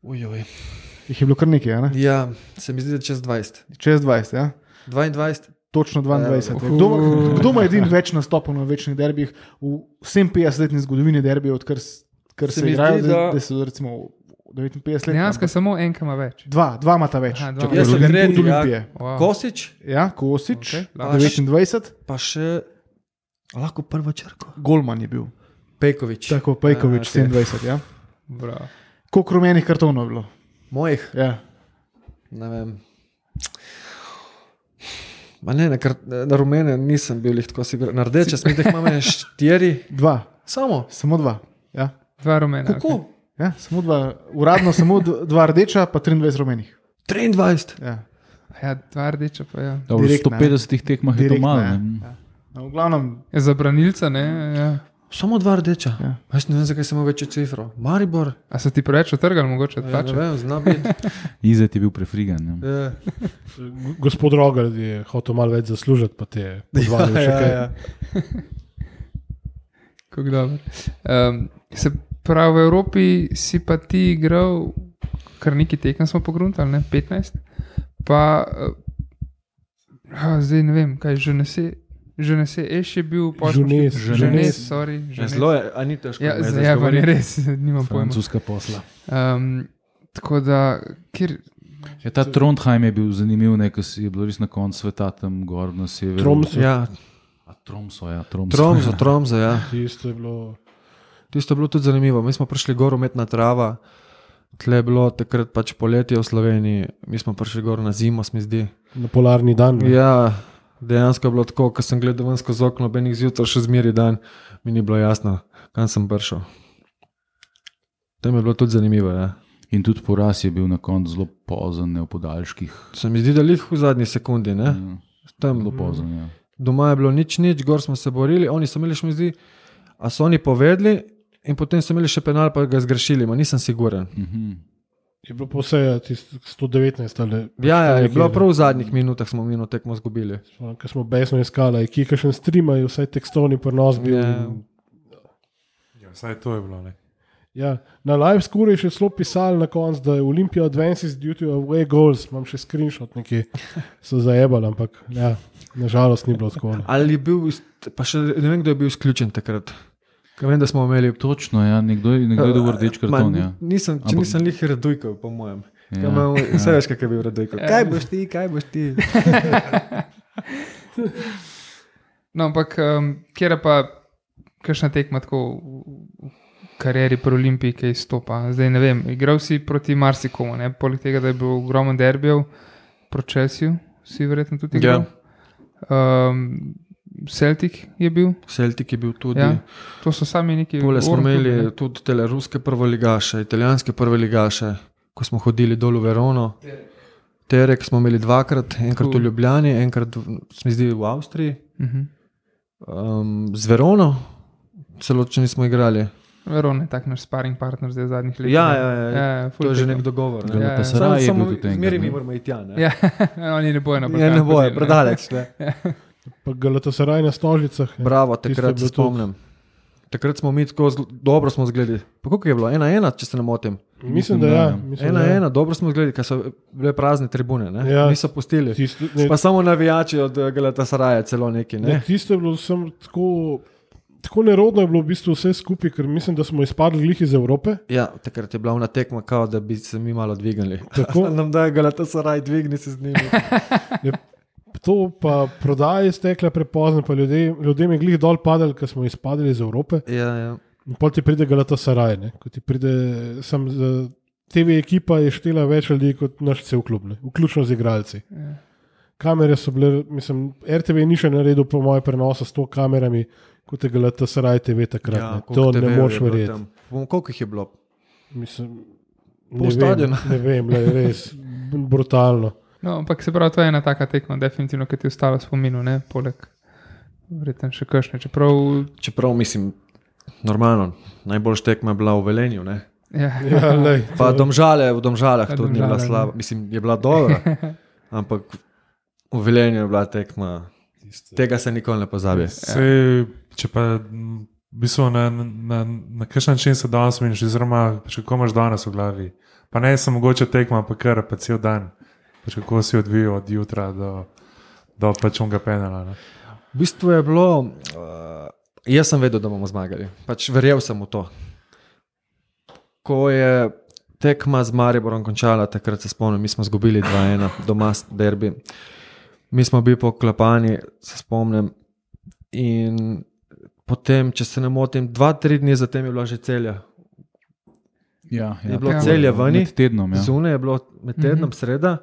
Ujoj. Jih je bilo kar nekaj, ne? Ja, se mi zdi, da čez 20. Čez 20, ja. 22. Točno 22. Kdo ima edin več nastopov na večnih derbijih v 57-letni zgodovini derbijev, odkar se igrajo, da so recimo 59 let? Dejansko samo enka ima več. Dva imata več. Jaz sem tretji, ja. Kosič? Ja, Kosič, 29. Pa še lahko prvo črko. Golman je bil. Pejkovič. Tako, Pejkovič, 27, ja. Bravo. Koliko rumenih kartonov je bilo? Mojih? Ja. Ne vem. Na rumene nisem bil tako sigurno. Na rdeče smo jih imeli 4. 2. Samo 2. Ja. 2 rumena. Kako? Ja, samo 2. Uradno samo 2 rdeča, pa 23 rumenih. 23? Ja. Ja, 2 rdeča pa ja. V 150 tekmah je to malo. Ja. V glavnem. Je za branilca, ne? Ja. Samo 2 rdeča. Ja. Jaz ne vem, zakaj sem imel večjo cifro. Maribor. A so ti preveč otrgali, mogoče odplačati? Ne vem, zna biti. Izet je bil prefrigan. Ja. Gospod Rogar je hotel malo več zaslužiti, pa te je podvalil še kaj. Ja. Kako dobro. Se pravi, v Evropi si pa ti igral, kar nekaj tekem smo pogruntali, ne? 15. Pa, zdaj ne vem, kaj že ne se... Že ne se, je bil Jeunesse. sorry. Zelo je, a ni težko. Ja, me zdaj pa izgovoriti. ne res, nimam pojma. Francoska posla. Tako da, kjer, Ja, ta Trondheim je bil zanimiv, ker je bilo res na koncu sveta tam gor na severu. Tromso. Ja, Tromso, Tromso, ja. Tisto je bilo. Tisto je bilo tudi zanimivo. Mi smo prišli gor, umetna trava, tle je bilo takrat pač poletje v Sloveniji, mi smo prišli gor na zimo, se mi zdi. Na polarni dan. Ne? Ja, dejansko je bilo tako, ko sem gledal ven skozi okno, benih zjutraj še zmeri dan, mi ni bilo jasno, kam sem prišel. Tam je bilo tudi zanimivo, ja. In tudi poraz je bil na koncu zelo pozen, ne v podaljških. Se mi zdi, da lih v zadnji sekundi, ne? Tam Zelo pozen, ja. doma je bilo nič, gor smo se borili, oni so imeli še mi zdi, a so oni povedali in potem so imeli še penal, pa ga zgrešili, ma nisem siguren. Je bilo pa vse 119 ali. Ja, je bilo prav v zadnjih minutah smo mi tekmo zgubili. Ker smo besno iskali, ki je še streamajo, vsaj tekstovni prenos bil. Ja, vsaj to je bilo, ne. Ja, na live skuri je še zelo pisali na koncu, da je Olympia advances due to away goals. Imam še screenshot, neki so zajebali, ampak ja, nažalost ni bilo tako. Ali je bil, pa še ne vem, kdo je bil izključen takrat. Ker vem, da smo imeli. Točno, ja, nekdo je dobil rdeč karton. Ja. Nisem lih Radujkov, po mojem. Ja, Vse veš, kak je bil Radujkov. Kaj boš ti? no, ampak kjer pa kakšna tekma tako v karieri pri Olimpiji, ki izstopa. Zdaj ne vem, igral si proti marsikomu, ne? Poleg tega, da je bil ogromen derbijev proti Chelseaju, si verjetno tudi igral. Celtic je bil. Celtic je bil tudi. Ja, to so sami neki. Pole smo imeli tudi tele ruske prvoligaše, italijanske prvoligaše, ko smo hodili dol v Verono. Terek smo imeli dvakrat, enkrat v Ljubljani, enkrat se mi zdi v Avstriji. Z Verono celo, če nismo igrali. Verona je tak naš sparring partner zdaj v zadnjih letih. Ja, to je že nek dogovor. Ne? Galatasaray je bil tudi enkrat. Zmeri mi moramo iti tja. Ne? Ja, oni ne bojo na Balkan. Ja, ne bojo, predaleč. Pa Galatasaray na Stožicah. Bravo, takrat se spomnim. Takrat smo mi tako dobro smo zgledali. Pa koliko je bilo? 1-1, če se ne motim. Mislim, da ja. 1-1, dobro smo zgledali, ker so bile prazne tribune. Ne? Ja. Niso pustili. Pa samo navijači od Galatasaraya celo neki. Ne? Tisto je bilo tako nerodno je bilo v bistvu vse skupaj, ker mislim, da smo izpadli glih iz Evrope. Ja, takrat je bila ona tekma, kao, da bi se mi malo dvignili. Tako nam da je Galatasaray, dvigni se z njimi. To pa prodaja je stekla prepozno, pa ljudem je glih dol padali, ker smo izpadli iz Evrope. Ja. In potem ti pride Galatasaray, ne? Ko ti pride TV ekipa je štela več ljudi kot naš cel klub, ne? Vključno z igralci. Ja. Kamere so bile, mislim, RTV ni še naredil po moje prenosa s to kamerami, kot je Galatasaray TV takrat. Ja, to ne moš verjeti. Koliko jih je bilo? Mislim, ne vem, res brutalno. No, ampak se pravi, to je ena taka tekma, definitivno, ki ti je ostala v spominu, ne, poleg verjetno še kakšne. Čeprav mislim, normalno, najboljša tekma je bila v Velenju, ne? Ja, pa v Domžalah tudi ni bila slaba, mislim, je bila dobra, ampak v Velenju je bila tekma, tega se nikoli ne pozabi. Če pa v bistvu na kakšen način se danes meniš, oziroma kako imaš danes v glavi, pa ne samo mogoče tekma, pa kar pa cel dan, pač kako si odvijal od jutra do pač onega penala. Ne? V bistvu je bilo, jaz sem vedel, da bomo zmagali, pač verjel sem v to. Ko je tekma z Mariborom končala, takrat se spomnim, mi smo zgubili 2-1 doma derbi. Mi smo bili poklapani, se spomnim, in potem, če se ne motim, 2-3 dni zatem je bila že Celja. Ja, je bilo Celje vani, med tednom, ja. Zunaj je bilo med tednom sreda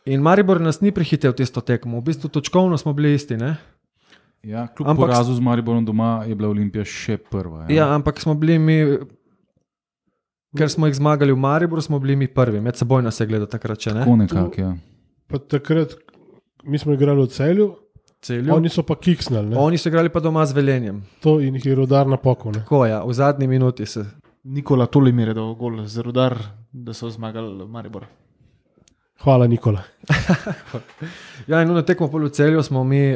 in Maribor nas ni prehitev tisto tekmo, v bistvu točkovno smo bili isti, ne? Ja, kljub porazu z Mariborom doma je bila Olimpija še prva. Ja, ampak smo bili mi, ker smo jih zmagali v Mariboru, smo bili mi prvi, med seboj nas je gledal takrat, če ne? Tako nekak, ja. Pa takrat, mi smo igrali v Celju, oni so pa kiksnali, ne? Oni so igrali pa doma z Velenjem. To in jih je Rudar napokal, ne? Tako, ja, v zadnji minuti se. Nikola Tolimir je dal gol za Rudar, da so zmagali Maribor. Hvala, Nikola. Ja, in na tekmo v Celju smo mi,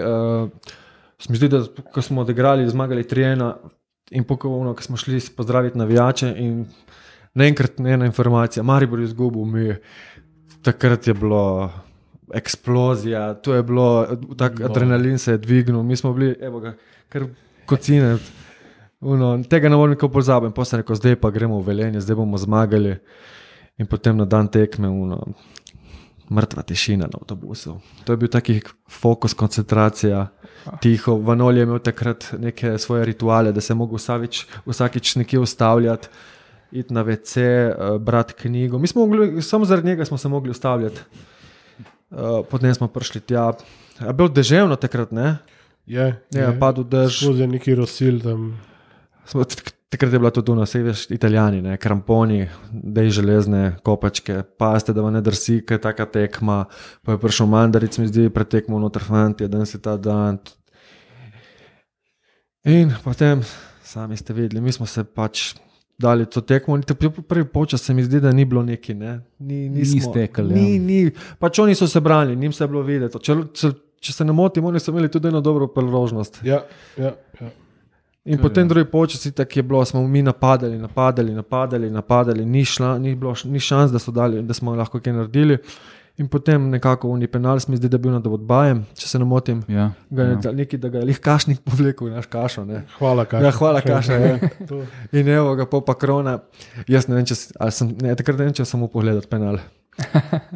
se mi zdi, da ko smo odigrali, zmagali 3-1 in pokovno, ko smo šli pozdraviti navijače in naenkrat ena informacija, Maribor je izgubil, takrat je bilo eksplozija, to je bilo, tak adrenalin se je dvignil, mi smo bili, evo ga, kar kocine. Tega ne morem nikoli pozabiti. Potem sem rekel, zdaj pa gremo v Velenje, zdaj bomo zmagali. In potem na dan tekme, mrtva tišina na avtobusu. To je bil taki fokus, koncentracija, tiho. Vanoli je imel takrat neke svoje rituale, da se je mogel vsakič nekje ustavljati, iti na WC, brati knjigo. Mi smo mogli, samo zaradi njega smo se mogli ustavljati. Potem smo prišli tja. Je bilo deževno takrat, ne? Je padel dež. Skozi neki rosil tam. Takrat je bila tudi tu na veš, Italijani, ne, kramponi, dej železne kopačke, paste, da vam ne drsi, kaj je taka tekma, pa je prišel Mandaric, mi zdi, pred tekmo noter fantje, danes je ta dan. In potem, sami ste videli, mi smo se pač dali to tekmo, prvi polčas se mi zdi, da ni bilo neki, ne. Ni stekali. Ni, pač oni so se branili, njim se je bilo videti. Če se ne motim, oni so imeli tudi eno dobro priložnost. Ja. In potem drugi polčas tako je bilo, smo mi napadali, ni šans, da smo lahko kaj naredili. In potem nekako v penal mi zdi, da je bil nad Odbajem, če se ne motim. Ja. Neki, da ga je lih Kašnik povlekel, naš Kašo. Ne. Hvala, Kaša. Ja, hvala, Kaša. Ja. In evo ga pa Krona. Jaz ne vem, takrat ne vem, če sem mu pogledal penal.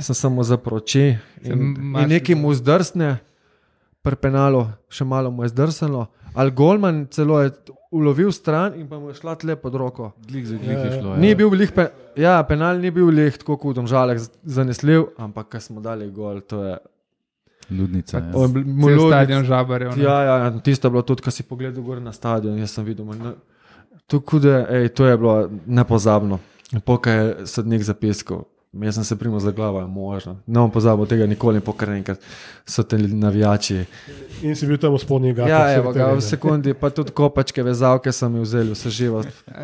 Sem samo zaprl oči in nekaj mu zdrsne, pri penalu še malo mu je zdrsnilo, ali golman celo je ulovil stran in pa mu je šla tle pod roko. Glik je šlo. Ni bil penal ni bil lih tako kot Domžalek zanesljiv, ampak ko smo dali gol, to je ludnica. Cel stadion žabarjev. Ja, tisto je bilo tudi, ko si pogledal gor na stadion, jaz sem videl, to je bilo nepozabno. Pokaj je sodnik zapiskal. Jaz sem se primo za glavo, je možno. Ne bom pozabil tega nikoli, pokaj enkrat so te navijači. In si bil tam v spodnji gati. Ja, evo ga, v sekundi, pa tudi kopačke, vezavke so mi vzeli, vse živo.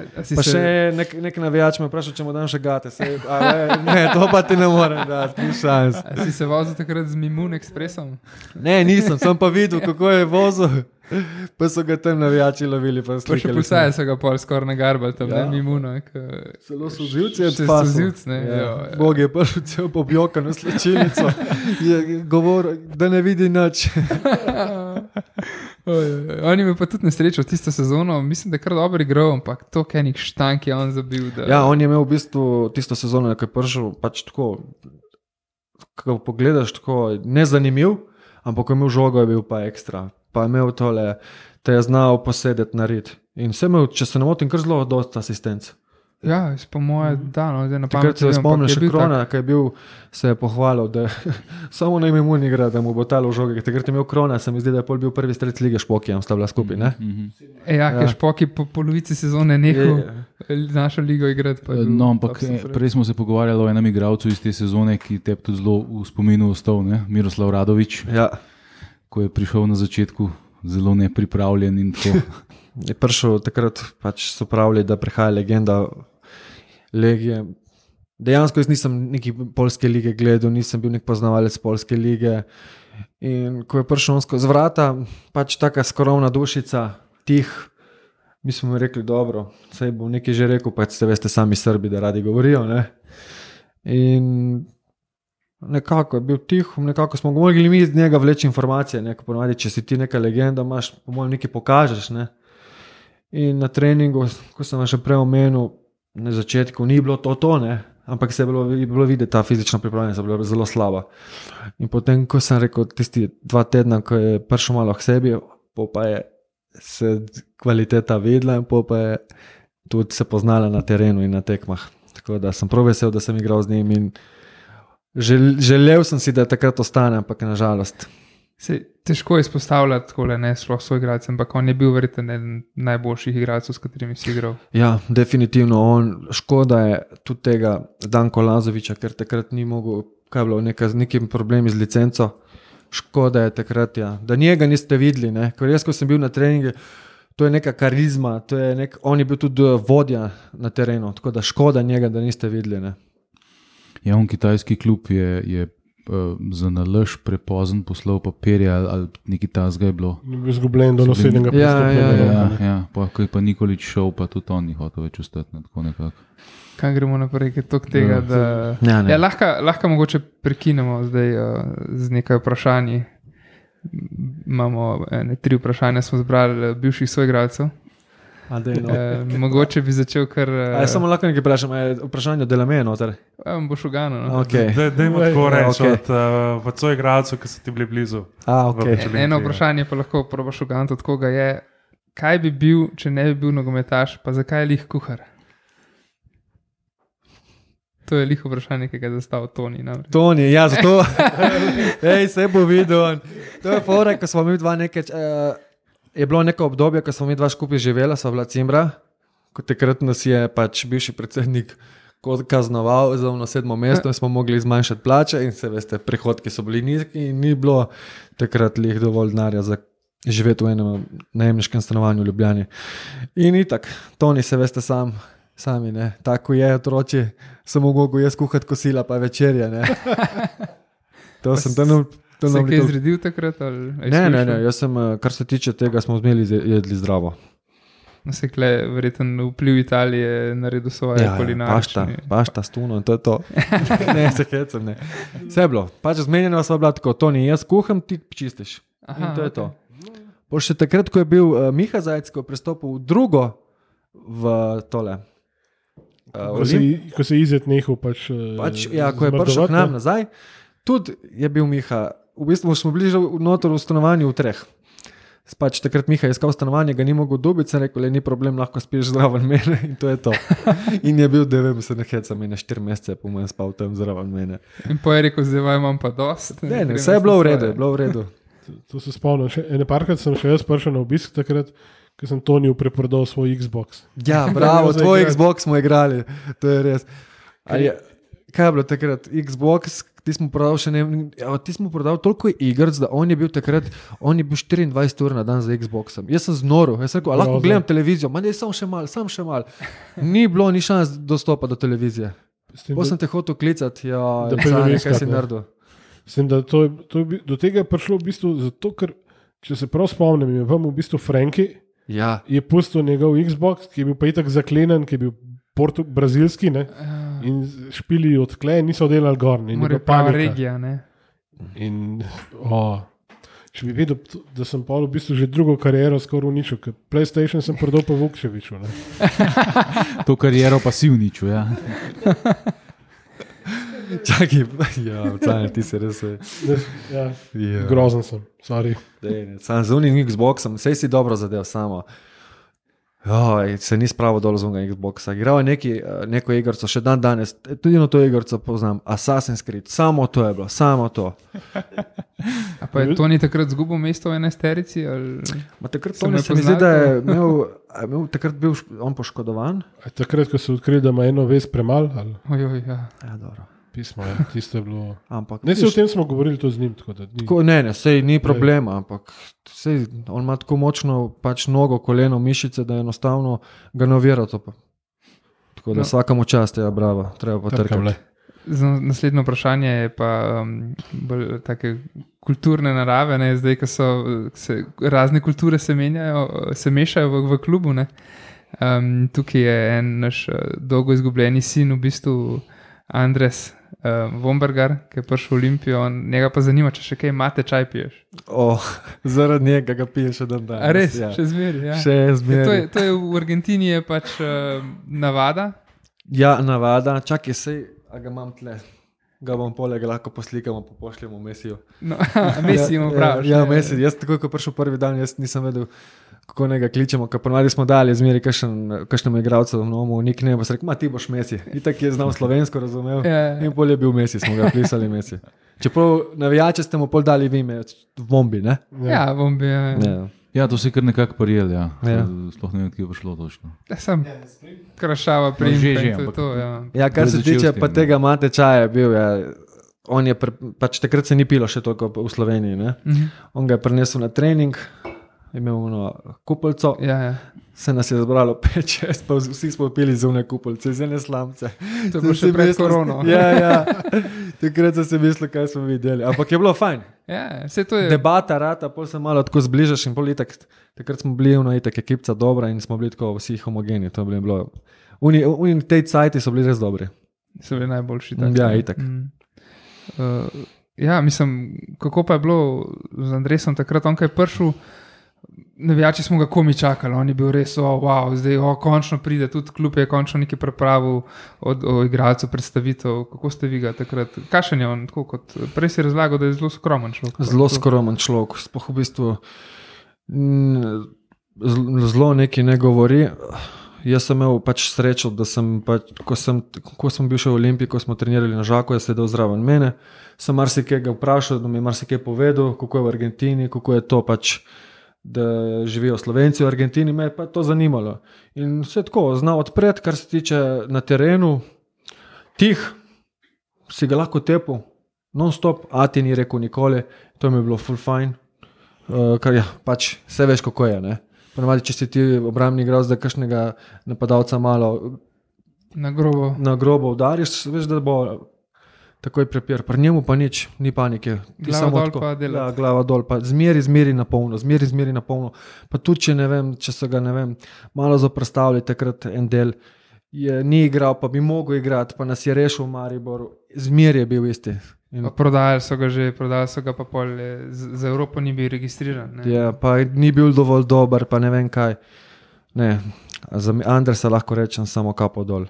Pa še nek navijač me vprašal, če mu dam še gate. Ne, to pa ti ne morem dati, ni šans. Si se vozil takrat z Mimun Expressom? Ne, nisem, sem pa videl, kako je vozil. Pa so ga tam navijači lovili. Pa še posaje so ga pol skoraj nagarbali tam, ne Mimuno. Celo so živci od fasu. Bog je prišel cel pobjokan v slečilnico. Je govoril, da ne vidi nič. On je pa tudi nesrečo tisto sezono, mislim, da je kar dobro igral, ampak to kenik štank je on zabil. Ja, on je imel v bistvu tisto sezono, ko je prišel, pač tako, ko pogledaš, tako nezanimiv, ampak ko je imel žogo, je bil pa ekstra. Pa je imel tole, te je znal posedeti na rit. In vse imel, če se ne motim, kar zelo dosta asistenc. Ja, po moje, da, no, zdaj na pamet. Takrat se spomniš še Krona, ki je bil, se je pohvalil, da samo na ime mu ni igra, da mu bo talo žoge. Takrat je imel Krona, se mi zdi, da je pol bil prvi strelec lige Špokijam, sta bila skupaj, ne? Ja, ker Špoki po polovici sezone nehal našo ligo igrati. No, ampak prej smo se pogovarjali o enem igralcu iz te sezone, ki te tudi zelo v spominu ostal, ne? Miroslav Radović. Ja. Ko je prišel na začetku zelo nepripravljen in tako. Je prišel takrat, pač so pravili, da prihaja legenda Legije. Dejansko jaz nisem neki polske lige gledal, nisem bil nek poznavalec polske lige. In ko je prišel z vrata, pač taka skromna dušica, tih, mi smo rekli, dobro, saj bom nekaj že rekel, pač ste veste sami Srbi, da radi govorijo, ne. In nekako je bil tih, nekako smo mogli mi iz njega vleči informacije, neko ponovadi, če si ti neka legenda, imaš, po mojem, nekaj pokažeš, ne. In na treningu, ko sem vam še prej omenil, na začetku ni bilo to, ne, ampak se je bilo videti, ta fizična pripravljenost je bila zelo slaba. In potem, ko sem rekel, tisti 2 tedna, ko je prišel malo k sebi, pa je se kvaliteta videla in pa je tudi se poznala na terenu in na tekmah. Tako da sem prav vesel, da sem igral z njim in želel sem si, da takrat ostane, ampak nažalost. Težko je izpostavljati takole, ne sploh svoj igralec, ampak on je bil verjetno eden najboljših igralcev, s katerimi si igral. Ja, definitivno. Škoda je tudi tega Danko Lazovića, ker takrat ni mogel, kaj je bilo, nekim problemi z licenco. Škoda je takrat, ja. Da njega niste videli, ne. Ker jaz, ko sem bil na treningu, to je neka karizma, on je bil tudi vodja na terenu, tako da škoda njega, da niste videli, ne. Ja, on kitajski klub je za nalož prepozen poslal papirje ali nekaj tasga je bilo. Ni bil izgubljen do naslednjega pristopnega. Ja, ko je pa Nikolič šel, pa tudi on ni hotel več ostati. Tako nekako. Kaj gremo naprej, je to tega, da ja, lahko mogoče prekinemo zdaj z nekaj vprašanji. Imamo 3 vprašanja, smo zbrali bivših soigralcev. Mogoče bi začel kar... Samo lahko nekaj vprašam, vprašanje delame noter. Boš ugano. No? Okay. Dajmo tako reči od soigralcev, ki so ti bili blizu. Okay. Eno vprašanje pa lahko probaš ugano od koga je, kaj bi bil, če ne bi bil nogometaš, pa zakaj je lih kuhar? To je liho vprašanje, ki ga je zastavil Toni. Toni, ja, zato. Se bo videl. To je fora, ko smo mi dva nekaj... Je bilo neko obdobje, ko smo mi dva skupaj živela, sva bila cimbra, ko takrat nas je pač bivši predsednik kaznoval za 7. mesto in smo mogli zmanjšati plače in se veste, prihodki so bili nizki in ni bilo takrat lih dovolj denarja za živeti v enem najemniškem stanovanju v Ljubljani. In itak, Toni se veste sami, ne, tako je otroci, sem mogel jaz kuhati kosila pa večerja, ne. To sem tam... Se je kaj zredil takrat? Ne, jaz sem, kar se tiče tega, smo jedli zdravo. Se je verjeten vpliv Italije naredil svoje kulinarične. Pašta, stuno in to je to. Ne, se hecam, ne. Vse je bilo. Pač zmenjeno sva bila tako, Toni, jaz kuham, ti čistiš. In to je to. Po še takrat, ko je bil Miha Zajec, ko je prestopil drugo v tole. Ko se izjet nehal pač ja, ko je prišel k nam nazaj, tudi je bil Miha. V bistvu smo bili že notor v stanovanju v 3. Pač takrat Miha je iskal stanovanje, ga ni mogel dobiti, sem rekel, ni problem, lahko spiš zraven mene in to je to. In je bil 9, se ne hecam, in 4 mesece po mojem spal tam zraven mene. In po je rekel, zdaj imam pa dost. Ne, vse je bilo v redu. To se spomnim. Ene parkrat sem še jaz prišel na obisk takrat, ko sem Toniju preprodal svoj Xbox. Ja, bravo, tvoj Xbox smo igrali, to je res. Kaj je bilo takrat? Xbox, ti smo prodal toliko igric, da on je bil 24 ur na dan za Xboxom. Jaz sem znoril, jaz sem rekel, lahko gledam televizijo, ma ne, sam še mal. Ni bilo ni šans dostopa do televizije. Potem sem te hotel klicati, kaj si naredil. Mislim, da do tega je prišlo v bistvu zato, ker, če se prav spomnim, je vam v bistvu Franki je pustil njegov Xbox, ki je bil pa itak zaklenen, ki je bil brazilski, ne? In špili odkle, niso delali gor. Mora pa regija, ne? In če bi vedel, da sem pa v bistvu že drugo kariero skoraj uničil, ker PlayStation sem prodal pa Vukševiču, ne? To kariero pa si uničil, ja. Čakaj, ja, ti se res... Grozen sem, sorry. Sam z unim Xboxom, sej si dobro zadev samo. Se ni spravo dol z unega Xboxa. Igral je neko igrco, še danes, tudi to igrco poznam, Assassin's Creed, samo to je bilo, samo to. A pa je Toni takrat zgubil mesto v 11-terici? Takrat Toni se mi zdi, da je imel takrat bil on poškodovan. Takrat, ko so odkrili, da ima eno vez premal? Ja, dobro. Pismo, tisto je bilo... Ampak, ne, o tem smo govorili to z njim. Ne, sej ni problema, ampak sej, on ima tako močno pač nogo, koleno, mišice, da enostavno ga ne ovira to pa. Tako da vsakemu čast je, bravo, treba potrkati. Naslednjo vprašanje je pa bolj take kulturne narave, ne? Zdaj, ko se razne kulture se mešajo v klubu, ne? Tukaj je en naš dolgo izgubljeni sin, v bistvu Andres Vombergar, ki je prišel v Olimpijo, njega pa zanima, če še kaj mate čaj piješ. Zaradi njega ga piješ še dan danes. A res? Ja. Še zmeri, ja. Še zmeri. To je v Argentini je pač navada? Ja, navada. Čakaj, a ga imam tle. Ga bom poleg lahko poslikamo, pa pošljemo Messiju. No, Messi imamo prav. Ja, Messi. Jaz tako, ko prišel prvi dan, jaz nisem vedel, kako ne ga kličemo, ker ponavadi smo dali zmeri kakšnemu igralcu v nomu, nickname, pa se rekel, ti boš Messi. Itak je znal slovensko, razumel. In pol je bil Messi, smo ga pisali Messi. Čeprav navijače ste mu pol dali v ime, Vombi, ne? Ja, Vombi, ja. Ja, to si kar nekako prijel, ja. Sploh ne vem, kje je prišlo točno. Ja, sem krašava primka in to je to, ja. Ja, kar se tiče pa tega mate čaja bil, ja. On je, pač takrat se ni pilo še toliko v Sloveniji, ne? On ga je prinesel na trening, imel kupolco. Ja. Se nas je zbralo 5-6, pa vsi smo pili zunaj kupolce, z ene slamce. To je bilo še pred korono. Ja. Takrat sem si mislil, kaj smo videli. Ampak je bilo fajn. Ja, vse to je. Debata, rata, pol se malo tako zbližaš in pol itak. Takrat smo bili itak ekipca dobra in smo bili tako vsi homogeni. To je bilo. Oni tej cajti so bili res dobri. So bili najboljši. Ja, itak. Ja, mislim, kako pa je bilo z Andresom takrat, on kaj prišel, navijači smo ga komi čakali, on je bil res, wow, zdaj končno pride, tudi klub je končno nekaj pripravil o igralcu predstavitev, kako ste vi ga takrat, kakšen je on, tako kot prej si razlagal, da je zelo skromen človek. Zelo skromen človek, spoh v bistvu zelo nekaj ne govori. Jaz sem imel srečo, da sem, ko sem bil še v Olimpiji, ko smo trenirali na Žaku, je sedel zraven mene, sem marsikaj ga vprašal, da mi je marsikaj povedal, kako je v Argentini, kako je to da živijo Slovenci v Argentini, me je pa to zanimalo. In vse tako, zna odpred, kar se tiče na terenu, tih, si ga lahko tepil, non-stop, a ti ni rekel nikoli, to mi je bilo full fine, ker ja, vse veš, kako je, ne. Ponavadi, če si ti obrambni igralec, da kakšnega napadalca malo na grobo udariš, veš, da bo takoj prepir. Pri njemu pa nič, ni panike. Glava dol pa delati. Ja, glava dol, pa zmeri na polno. Pa tudi, če so ga, malo zaprstavili takrat en del, ni igral, pa bi mogel igrati, pa nas je rešil v Mariboru. Zmeri je bil isti. Prodajali so ga pa pol, za Evropo ni bil registriran. Ne? Ja, pa ni bil dovolj dober, pa ne vem kaj. Ne, za Andresa lahko rečem samo kapo dol.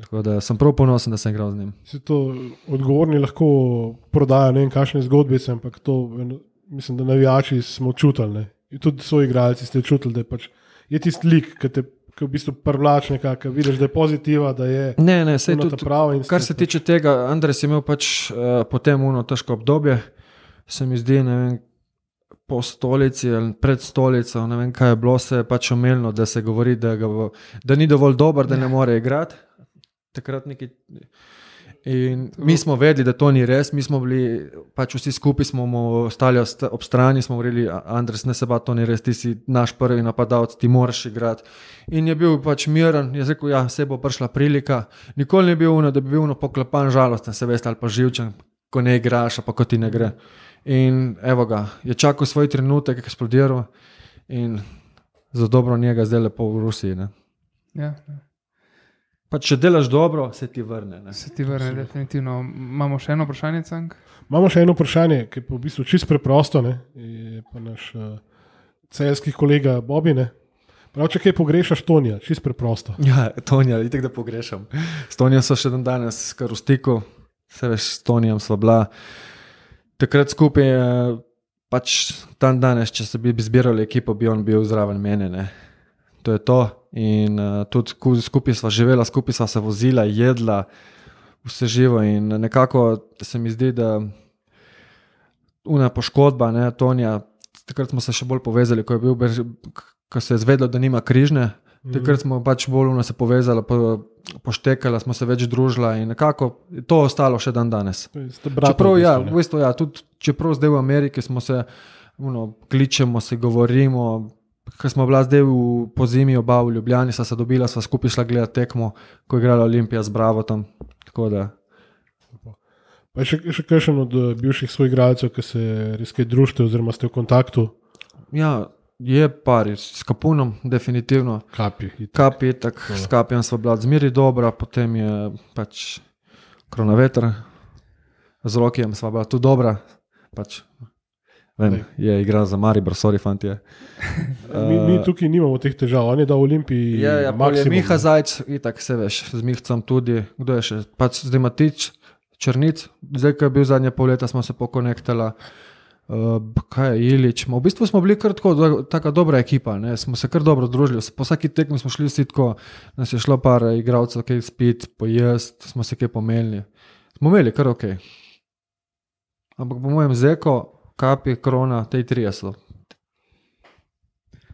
Tako da sem prav ponosen, da sem igral z njim. Se to odgovorni lahko prodajo, ne vem kakšne zgodbice, ampak to mislim, da navijači smo čutili. In tudi svoji igralci ste čutili, da je tisti lik, ki te v bistvu privlač nekako, vidiš, da je pozitiva, da je sej tudi prava. Kar se tiče tega, Andres je imel potem težko obdobje, se mi zdi, ne vem, po stolici ali pred stolico, ne vem, kaj je bilo, se je omenilo, da se govori, da ni dovolj dober, da ne more igrati. Takrat neki. In mi smo vedeli, da to ni res, mi smo bili, vsi skupaj smo mu stali ob strani, smo govorili, Andres, ne se ba, to ni res, ti si naš prvi napadalec, ti moraš igrati. In je bil miren, je rekel, ja, se bo prišla prilika, nikoli ni bil da bi bil poklepan žalosten, se veste, ali pa živčen, ko ne igraš, pa ko ti ne gre. In evo ga, je čakal svoj trenutek, eksplodiral in za dobro njega zdaj lepo v Rusiji. Ne? Ja. Pa če delaš dobro, se ti vrne. Ne? Se ti vrne, definitivno. Imamo še eno vprašanje, Cank? Imamo še eno vprašanje, ki je pa v bistvu čisto preprosto. Je pa naš celjski kolega Bobi. Prav, če kaj pogrešaš, Tonija, čisto preprosto. Ja, Tonija, itek da pogrešam. S Tonijem so še danes kar v stiku, se veš, s Tonijem sva bila. Takrat skupaj, dan danes, če se bi zbirali ekipo, bi on bil zraven mene. Ne? To je to. In tudi skupaj sva živela, skupaj sva se vozila, jedla, vse živo in nekako se mi zdi, da una poškodba, Tonija, takrat smo se še bolj povezali, ko se je zvedlo, da nima križne, takrat smo bolj se povezali, poštekala, smo se več družila in nekako to ostalo še dan danes. Čeprav, v bistvu, tudi čeprav zdaj v Ameriki smo se, kličemo, se govorimo, ko smo bila zdaj po zimi oba v Ljubljani, sva se dobila, sva skupaj šla gledati tekmo, ko je igrala Olimpija z Bravotom. Tako da. Pa je še kakšen od bivših svojih igralcev, ki se res kaj družite oziroma ste v kontaktu? Ja, je par, s Kapunom definitivno. Kapi, tako, s Kapijem sva bila zmeri dobra, potem je Kronaveter, z Rokijem sva bila tudi dobra, Vem, je igral za Maribor, sorry fantje. Mi tukaj nimamo teh težav, on je dal v Olimpiji maksimum. Miha Zajc, itak se veš, z Mihcem tudi, kdo je še, zdaj Matič, Črnic, zdaj, ko je bil zadnje pol leta, smo se pokonektala, kaj je Ilič, v bistvu smo bili kar taka dobra ekipa, smo se kar dobro družili, po vsaki tekmi smo šli vsi tako, nas je šlo par igralcev, kaj spit, pojest, smo se kaj pomelili, smo imeli kar okej. Ampak po mojem Zeko, Kapi, Krona, tej 30.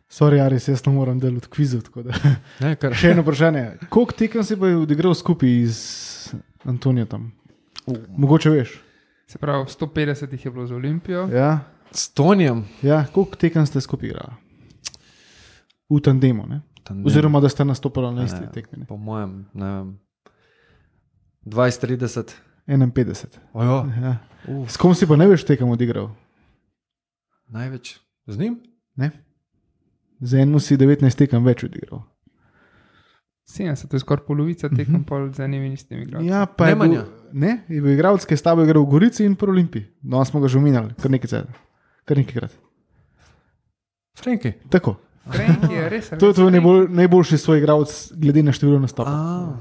Sorry, Aris, jaz ne moram delati kvizu. Še eno vprašanje. Koliko tekem si pa odigral skupaj z Antonijem tam? Mogoče veš. Se pravi, 150 jih je bilo za Olimpijo. Ja. S Tonijem? Ja, koliko tekem ste skupaj igrali? v tandemu, ne? Oziroma da sta nastopila na isti tekmi. Po mojem, ne vem, 20-30. 51. Ojo. Ja. S kom si pa največ tekem odigral? Največ. Z njim? Ne? Z enim si 19 tekem več odigral. 70, to je skoraj polovica tekem, pol z enimi istimi igralci. Ja, pa je bil igralec, ki je s tabo igral v Gorici in pri Olimpiji. Danes smo ga že omenjali, kar nekajkrat. Frenki. Tako. Frenki je res. To je tvoj najboljši svoj igralec glede na število nastopov.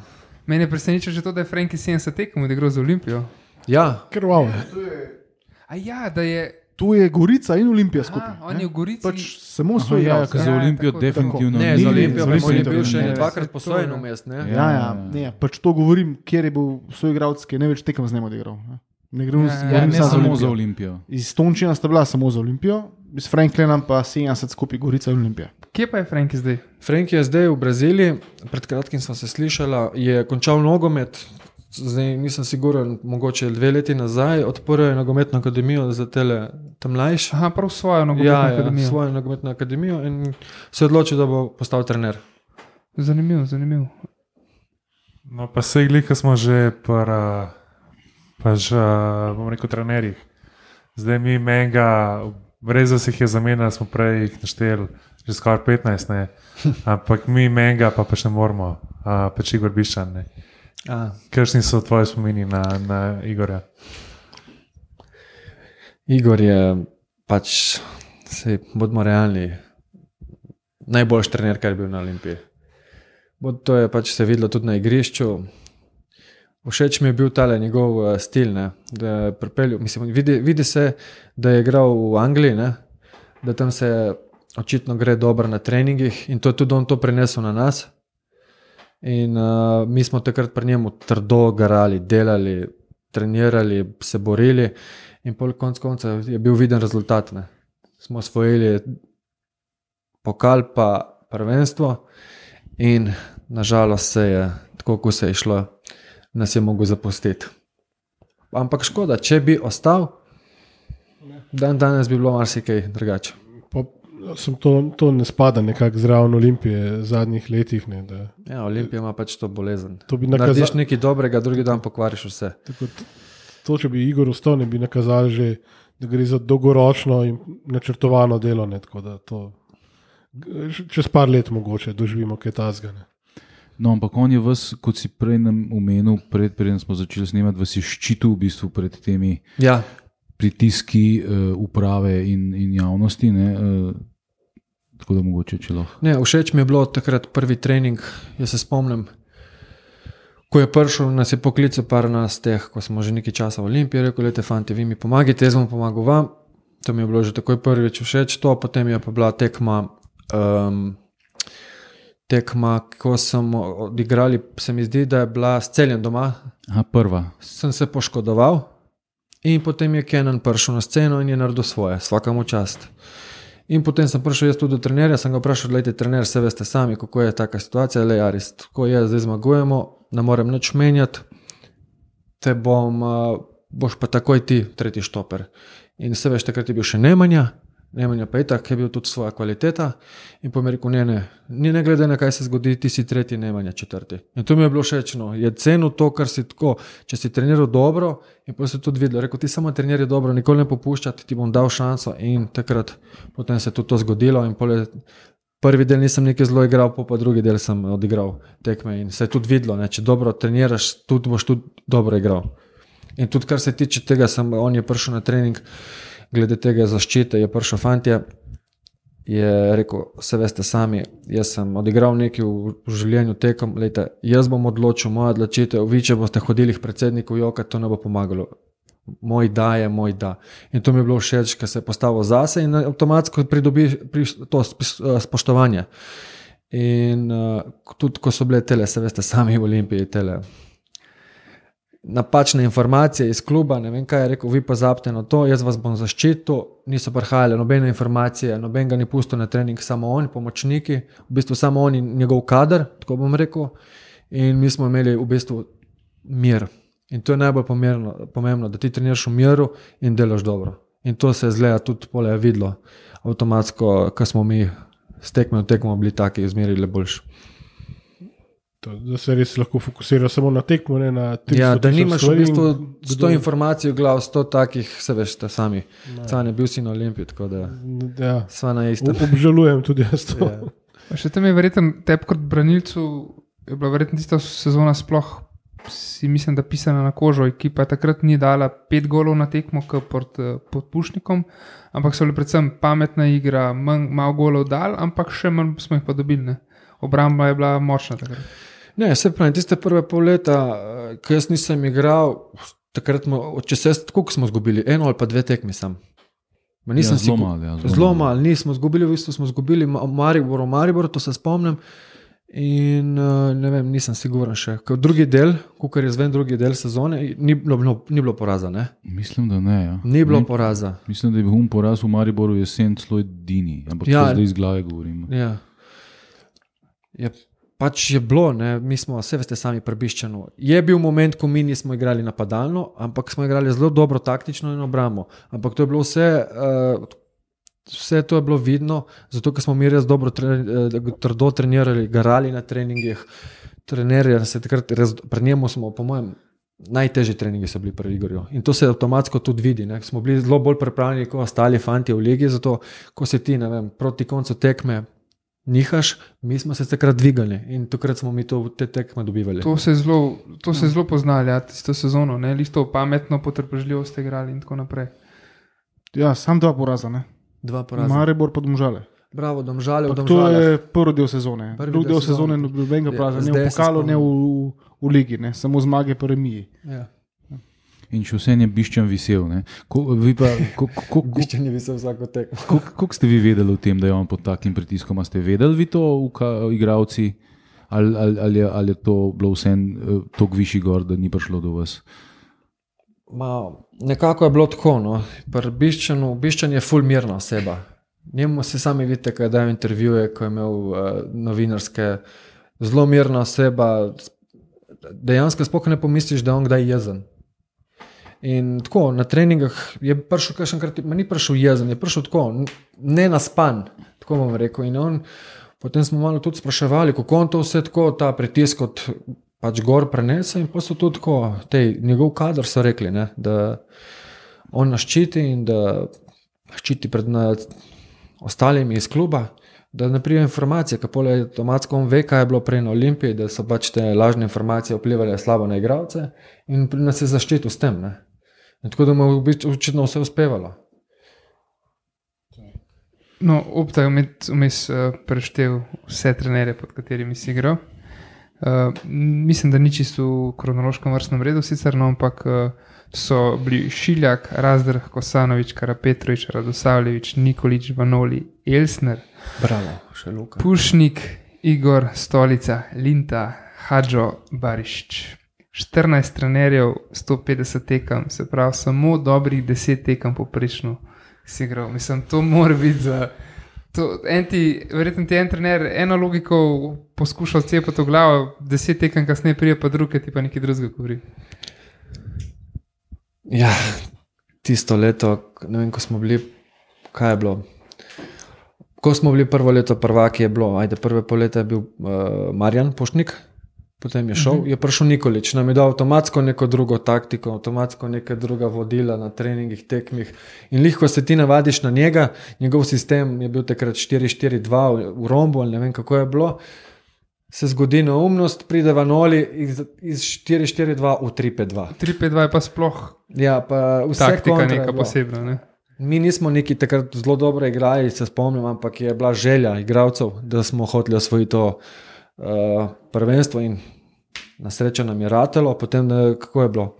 Mene je presenečilo že to, da je Frenki 70 tekem odigral za Olimpijo. Ja. Krvavo. A ja, da je... Tu je Gorica in Olimpija skupaj. On je v Gorici. Pač samo svoj igralec. Za Olimpijo definitivno ne. Za Olimpijo je bil še ne. dvakrat posojen vmes. Ja. Ne, pač to govorim, kjer je bil svoj igralec, ki je največ tekem z njim odigral. Ne samo za Olimpijo. Iz Tončina sta bila samo za Olimpijo, iz Franklina pa 70 skupaj Gorica in Olimpija. Kje pa je Frenki zdaj? Frenki je zdaj v Braziliji, pred kratkim smo se slišali, je končal nogomet, zdaj nisem siguren, mogoče 2 leti nazaj, odprl je nogometno akademijo za te mlajše. Aha, prav svojo nogometno akademijo. Ja, svojo nogometno akademijo in se je odločil, da bo postal trener. Zanimiv. No, pa se glika smo že bom rekel, trenerjih. Zdaj mi menga, res da se jih je zamenjali, smo prej jih našteli, že skoraj 15, ne. Ampak mi menga pa še ne moramo, pač Igor Biščan, ne. Kakšni so tvoji spomini na Igorja? Igor je pač, bodimo realni, najboljši trener, kar je bil na Olimpiji. To je pač se videlo tudi na igrišču. Všeč mi je bil tale njegov stil, ne, da je pripeljal, mislim, vidi se, da je igral v Angliji, ne, da tam se očitno gre dobro na treningih in to je tudi on to prenesel na nas. In mi smo takrat pri njemu trdo garali, delali, trenirali, se borili in pol konc konca je bil viden rezultat. Ne. Smo osvojili pokal pa prvenstvo in nažalost se je, tako ko se je šlo, nas je mogel zapustiti. Ampak škoda, če bi ostal, danes bi bilo marsikaj drugače. To ne spada nekako zraven Olimpije v zadnjih letih. Ne, da... Ja, Olimpija ima pač to bolezen. To narediš nekaj dobrega, drugi dan pokvariš vse. To, če bi Igor ostal, ne bi nakazali že, da gre za dolgoročno in načrtovano delo. Ne, tako da to čez par let mogoče doživimo kaj tazga. Ne. No, ampak on je vas, kot si prej nam omenil, preden smo začeli snemati, vas je ščitil v bistvu pred temi pritiski uprave in javnosti. Ne? Tako da mogoče, če lahko. Ne, všeč mi je bilo takrat prvi trening, jaz se spomnim, ko je prišel, nas je poklical par nas teh, ko smo že nekaj časa v Olimpiji, rekel, lejte fanti, vi mi pomagajte, jaz bom pomagal vam. To mi je bilo že takoj prvič všeč to, potem je pa bila tekma, ko smo odigrali, se mi zdi, da je bila s Celjem doma. Aha, prva. Sem se poškodoval in potem je Kenan prišel na sceno in je naredil svoje, svakamu čast. In potem sem prišel jaz tudi do trenerja, sem ga vprašal, gledajte, trener, se veste sami, kako je taka situacija, le Aris, tako je, zdaj zmagujemo, ne morem nič menjati, boš pa takoj ti tretji štoper. In se veš, takrat je bil še Nemanja pa je tak, je bil tudi svoja kvaliteta in po mi rekel, ne glede na kaj se zgodi, ti si tretji, Nemanja četrti. In to mi je bilo všečno, je cenil to, kar si tako, če si treniral dobro in potem se tudi videlo, rekel, ti samo treniraj dobro, nikoli ne popuščati, ti bom dal šanso in takrat potem se je tudi to zgodilo in prvi del nisem nekaj zelo igral, pa drugi del sem odigral tekme in se je tudi videlo, če dobro treniraš, tudi boš tudi dobro igral. In tudi kar se tiče tega, on je prišel na trening, glede tega zaščite, je prišel fantje, je rekel, se veste sami, jaz sem odigral nekaj v življenju tekom, lejte, jaz bom odločil, moja odločitev, vi če boste hodili k predsedniku joka, to ne bo pomagalo. Moj da je moj da. In to mi je bilo všeč, ker se je postavil zase in avtomatsko pridobi to spoštovanje. In tudi, ko so bile tele, se veste sami v Olimpiji, tele napačne informacije iz kluba, ne vem kaj je rekel, vi pozabite na to, jaz vas bom zaščitil, niso prihajale nobene informacije, noben ga ni pustil na trening, samo on, pomočniki, v bistvu samo on in njegov kader, tako bom rekel, in mi smo imeli v bistvu mir. In to je najbolj pomembno, da ti treniraš v miru in delaš dobro. In to se je zgleda tudi pole videlo avtomatsko, ko smo mi s tekmo v tekmo bili taki, izmerili boljši. Da se res lahko fokusira samo na tekmo, ne na 300 Ja, da nimaš v bistvu stvari 100 informacij v glav, 100 takih, se veš, te sami. Cane, bil si na Olimpiji, tako da Ja. sva na istem. Obžalujem tudi jaz to. Ja. Še tam je verjetno tebi kot branilcu, je bila verjetno tista sezona sploh, si mislim, da pisana na kožo. Ekipa takrat ni dala 5 golov na tekmo pod Pušnikom, ampak so bile predvsem pametna igra, malo golov dal, ampak še manj smo jih pa dobili. Ne? Obramba je bila močna takrat. Ne, se pravi, tiste prve pol leta, ko jaz nisem igral, takrat koliko smo zgubili? 1 ali pa 2 tekmi sam. Zelo malo, nismo zgubili, v bistvu smo zgubili Maribor, to se spomnim. In ne vem, nisem siguren še. Drugi del, kar je zven drugi del sezone, ni bilo poraza, ne? Mislim, da ne. Ja. Ni bilo poraza. Mislim, da je bil poraz v Mariboru jesen celo edini, ampak Ja. zdaj iz glave govorimo. Ja. Pač je bilo, ne? Mi smo, vse veste, sami prebiščeno. Je bil moment, ko mi nismo igrali napadalno, ampak smo igrali zelo dobro taktično in obrambo. Ampak to je bilo vse to je bilo vidno, zato ker smo mi res dobro trdo trenirali, garali na treningih, trenerja se takrat pred njemu smo, po mojem, najtežji treningi so bili pri Igorju. In to se avtomatsko tudi vidi, ne? Smo bili zelo bolj pripravljeni kot ostali fanti v ligi, zato ko se ti, ne vem, proti koncu tekme nihaš, mi smo se takrat dvigali in takrat smo mi te tekme dobivali. To se je zelo poznali, ja, tisto sezono, ne, listo pametno, potrpežljivo ste igrali in tako naprej. Ja, sam 2 poraza, ne? 2 poraza. Maribor pa Domžale. Bravo, Domžale, v To Domžalah. je prvi del sezone. Drugi del sezone ni bil nobenega poraza, ne v Zdaj se pokalu, ne spomnim. v ligi, ne? Samo zmage po remiji. Ja. In še vse je Biščan visel. Biščan je visel vsako tekmo. Kako ste vi vedeli o tem, da je on pod takim pritiskom? A ste vedeli vi to, igravci, ali je to bilo vse toliko višji gor, da ni prišlo do vas? Nekako je bilo tako. No. Biščan je ful mirna oseba. Njemu se sami vidite, ko je dal intervjuje, ko je imel novinarske, zelo mirna oseba. Dejansko sploh ne pomisliš, da je on kdaj jezen. In tako, na treningah je prišel kakšenkrat, ni prišel jezen, je prišel tako, ne naspan, tako bom rekel. In on, potem smo malo tudi spraševali, kako on to vse tako, ta pritisk od pač gor prenese in pa so tudi tako, njegov kader so rekli, ne, da on nas ščiti in da ščiti pred ostalimi iz kluba, da ne pride informacije, ker pole avtomatsko on ve, kaj je bilo prej na Olimpiji, da so pač te lažne informacije vplivali slabo na igralce in nas je zaščitil s tem, ne. In tako da mu je očitno vse uspevalo. No, Opta je vmes preštel vse trenerje, pod katerimi si igral. Mislim, da ni čisto v kronološkem vrstnem redu sicer, no, ampak so bili Šiljak, Razdrh, Kosanovič, Karapetrovič, Radosavljevič, Nikolič, Vanoli, Elsner, Bravo, še Luka. Pušnik, Igor, Stolica, Linta, Hadžo, Barišič. 14 trenerjev, 150 tekem, se pravi samo dobrih 10 tekem poprečno si igral. Mislim, to mora biti za... Verjetno ti en trener eno logiko poskušal cepati v glavo, 10 tekem kasneje prije pa druge, ti pa nekaj drugega govori. Ja, tisto leto, ne vem, ko smo bili, kaj je bilo? Ko smo bili prvo leto prvaki je bilo, prve pol leta je bil Marjan Pušnik, potem je šel, je prišel Nikolič, nam je dal avtomatsko neko drugo taktiko, avtomatsko neka druga vodila na treningih, tekmih in lihko se ti navadiš na njega, njegov sistem je bil takrat 4-4-2 v rombu ali ne vem kako je bilo, se zgodi neumnost, pride Vanoli iz 4-4-2 v 3-5-2. 3-5-2 je pa sploh ja, pa vse taktika neka posebna, ne? Mi nismo neki takrat zelo dobro igrali, se spomnim, ampak je bila želja igralcev, da smo hoteli osvojiti to prvenstvo in na srečo nam je ratelo, potem kako je bilo?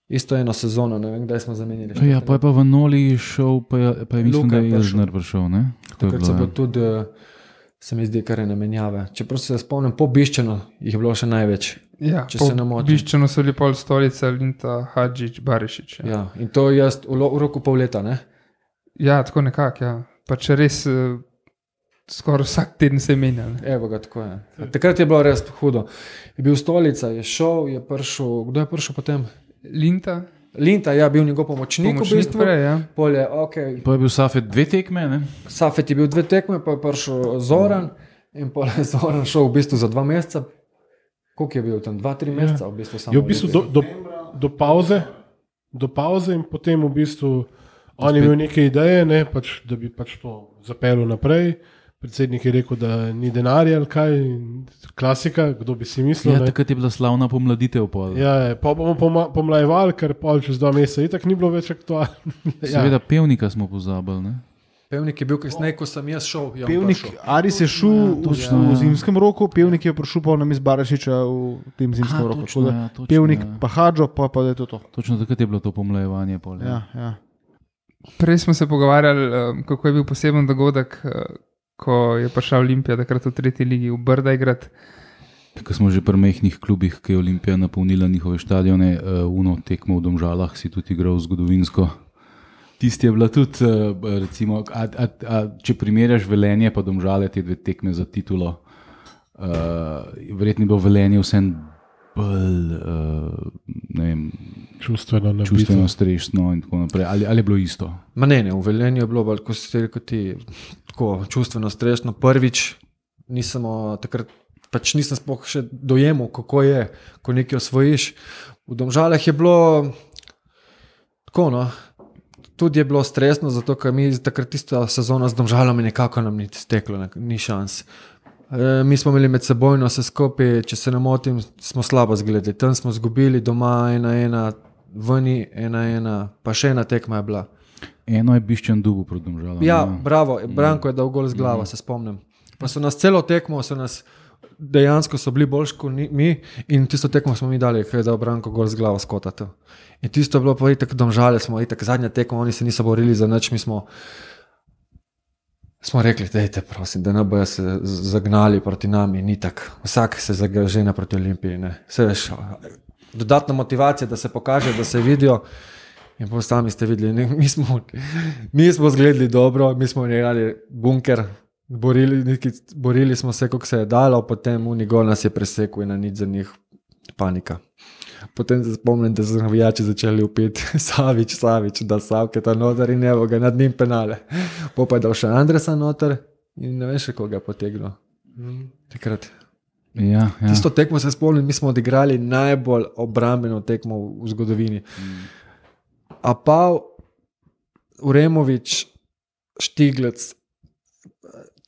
Isto eno sezono, ne vem, kdaj smo zamenili. Ja, pa je pa Vanoli šel, pa je mislim, Luka da je Elžner prišel, ne? Takrat so bilo tudi, se mi zdi, kar je namenjave. Čeprav se spomnim, po Biščanu jih je bilo še največ. Ja, če se ne motim. Biščanu so bili pol Stolica, Linta, Hadžič, Barišič. Ja, in to jaz v roku pol leta, ne? Ja, tako nekako, ja. Pa če res skoraj vsak teden se menja. Evo ga, tako je. Takrat je bilo res hudo. Je bil Stolica, je šel, je prišel, kdo je prišel potem? Linta Linta je bil njegov pomočnik v bistvu. Prej, ja. Polje, okay. Pa je bil Safet 2 tekme, ne? Safet je bil 2 tekme, pa je prišel Zoran in pa je Zoran šel v bistvu za 2 meseca. Koliko je bil tam? 2-3 meseca v bistvu samo. Je v bistvu do pauze in potem v bistvu on je imel neke ideje, ne, pač, da bi pač to zapeljal naprej. Predsednik je rekel, da ni denarja ali kaj, klasika, kdo bi si mislil. Ja, takrat je bila slavna pomladitev. Ja, pa bomo pomlajevali, ker pol čez 2 meseca itak ni bilo več aktualno. Seveda Pevnika smo pozabili, ne? Pevnik je bil kasneje, ko sem jaz šel. Pevnik, Aris je šel v zimskem roku, Pevnik je prišel pa na Barašiča v tem zimskem roku. Točno, Pevnik pa Hadžo, pa da je to. Točno takrat je bilo to pomlajevanje. Ja. Prej smo se pogovarjali, kako je bil poseben dogodek, ko je prišla Olimpija, takrat v 3. ligi v Brdajgrad. Ko smo že pri mehkih klubih, ki je Olimpija napolnila njihove štadione, uno tekmo v Domžalah si tudi igral zgodovinsko. Tisti je bila tudi, recimo, če primerjaš Velenje pa Domžale, te 2 tekme za titulo, verjetno je bilo Velenje vsem bolj, ne vem, čustveno stresno in tako naprej. Ali je bilo isto? Ma ne, v Velenju je bilo bolj, ko si rekel ti, tako čustveno stresno. Prvič takrat pač nisem sploh še dojemal, kako je, ko nekaj osvojiš. V Domžalah je bilo tako, no, tudi je bilo stresno, zato ker mi takrat tisto sezono z Domžalami nekako nam ni steklo, ni šans. Mi smo imeli med sebojno vse skupaj, če se ne motim, smo slabo zgledali. Tam smo zgubili doma 1-1, vani 1-1, pa še ena tekma je bila. Eno je Bišćan Dubu proti Domžalam. Ja, bravo, Branko je dal gol z glava, se spomnim. Pa so nas celo tekmo, dejansko so bili boljši kot mi in tisto tekmo smo mi dali, ker je dal Branko gol z glava skotati. In tisto je bilo pa itak Domžale, smo itak zadnja tekma, oni se niso borili za nič, mi smo rekli, dajte prosim, da ne bojo se zagnali proti nami, ni tak, vsak se žene proti Olimpiji, ne. Vse veš, dodatna motivacija, da se pokaže, da se vidijo in pa sami ste videli, ne, mi smo zgledali dobro, mi smo igrali bunker, borili smo se, kako se je dalo, potem Unigol nas je presekal in na nič za njih panika. Potem se spomnim, da so navijači začeli upiti Savić, da Savke ta noter in evo ga nad njim penale. Pa je dal še Andresa noter in ne veš, koga je potegnil. Takrat. Ja. Tisto tekmo se spomnim, mi smo odigrali najbolj obrambeno tekmo v zgodovini. Apav, Uremović, Štiglec,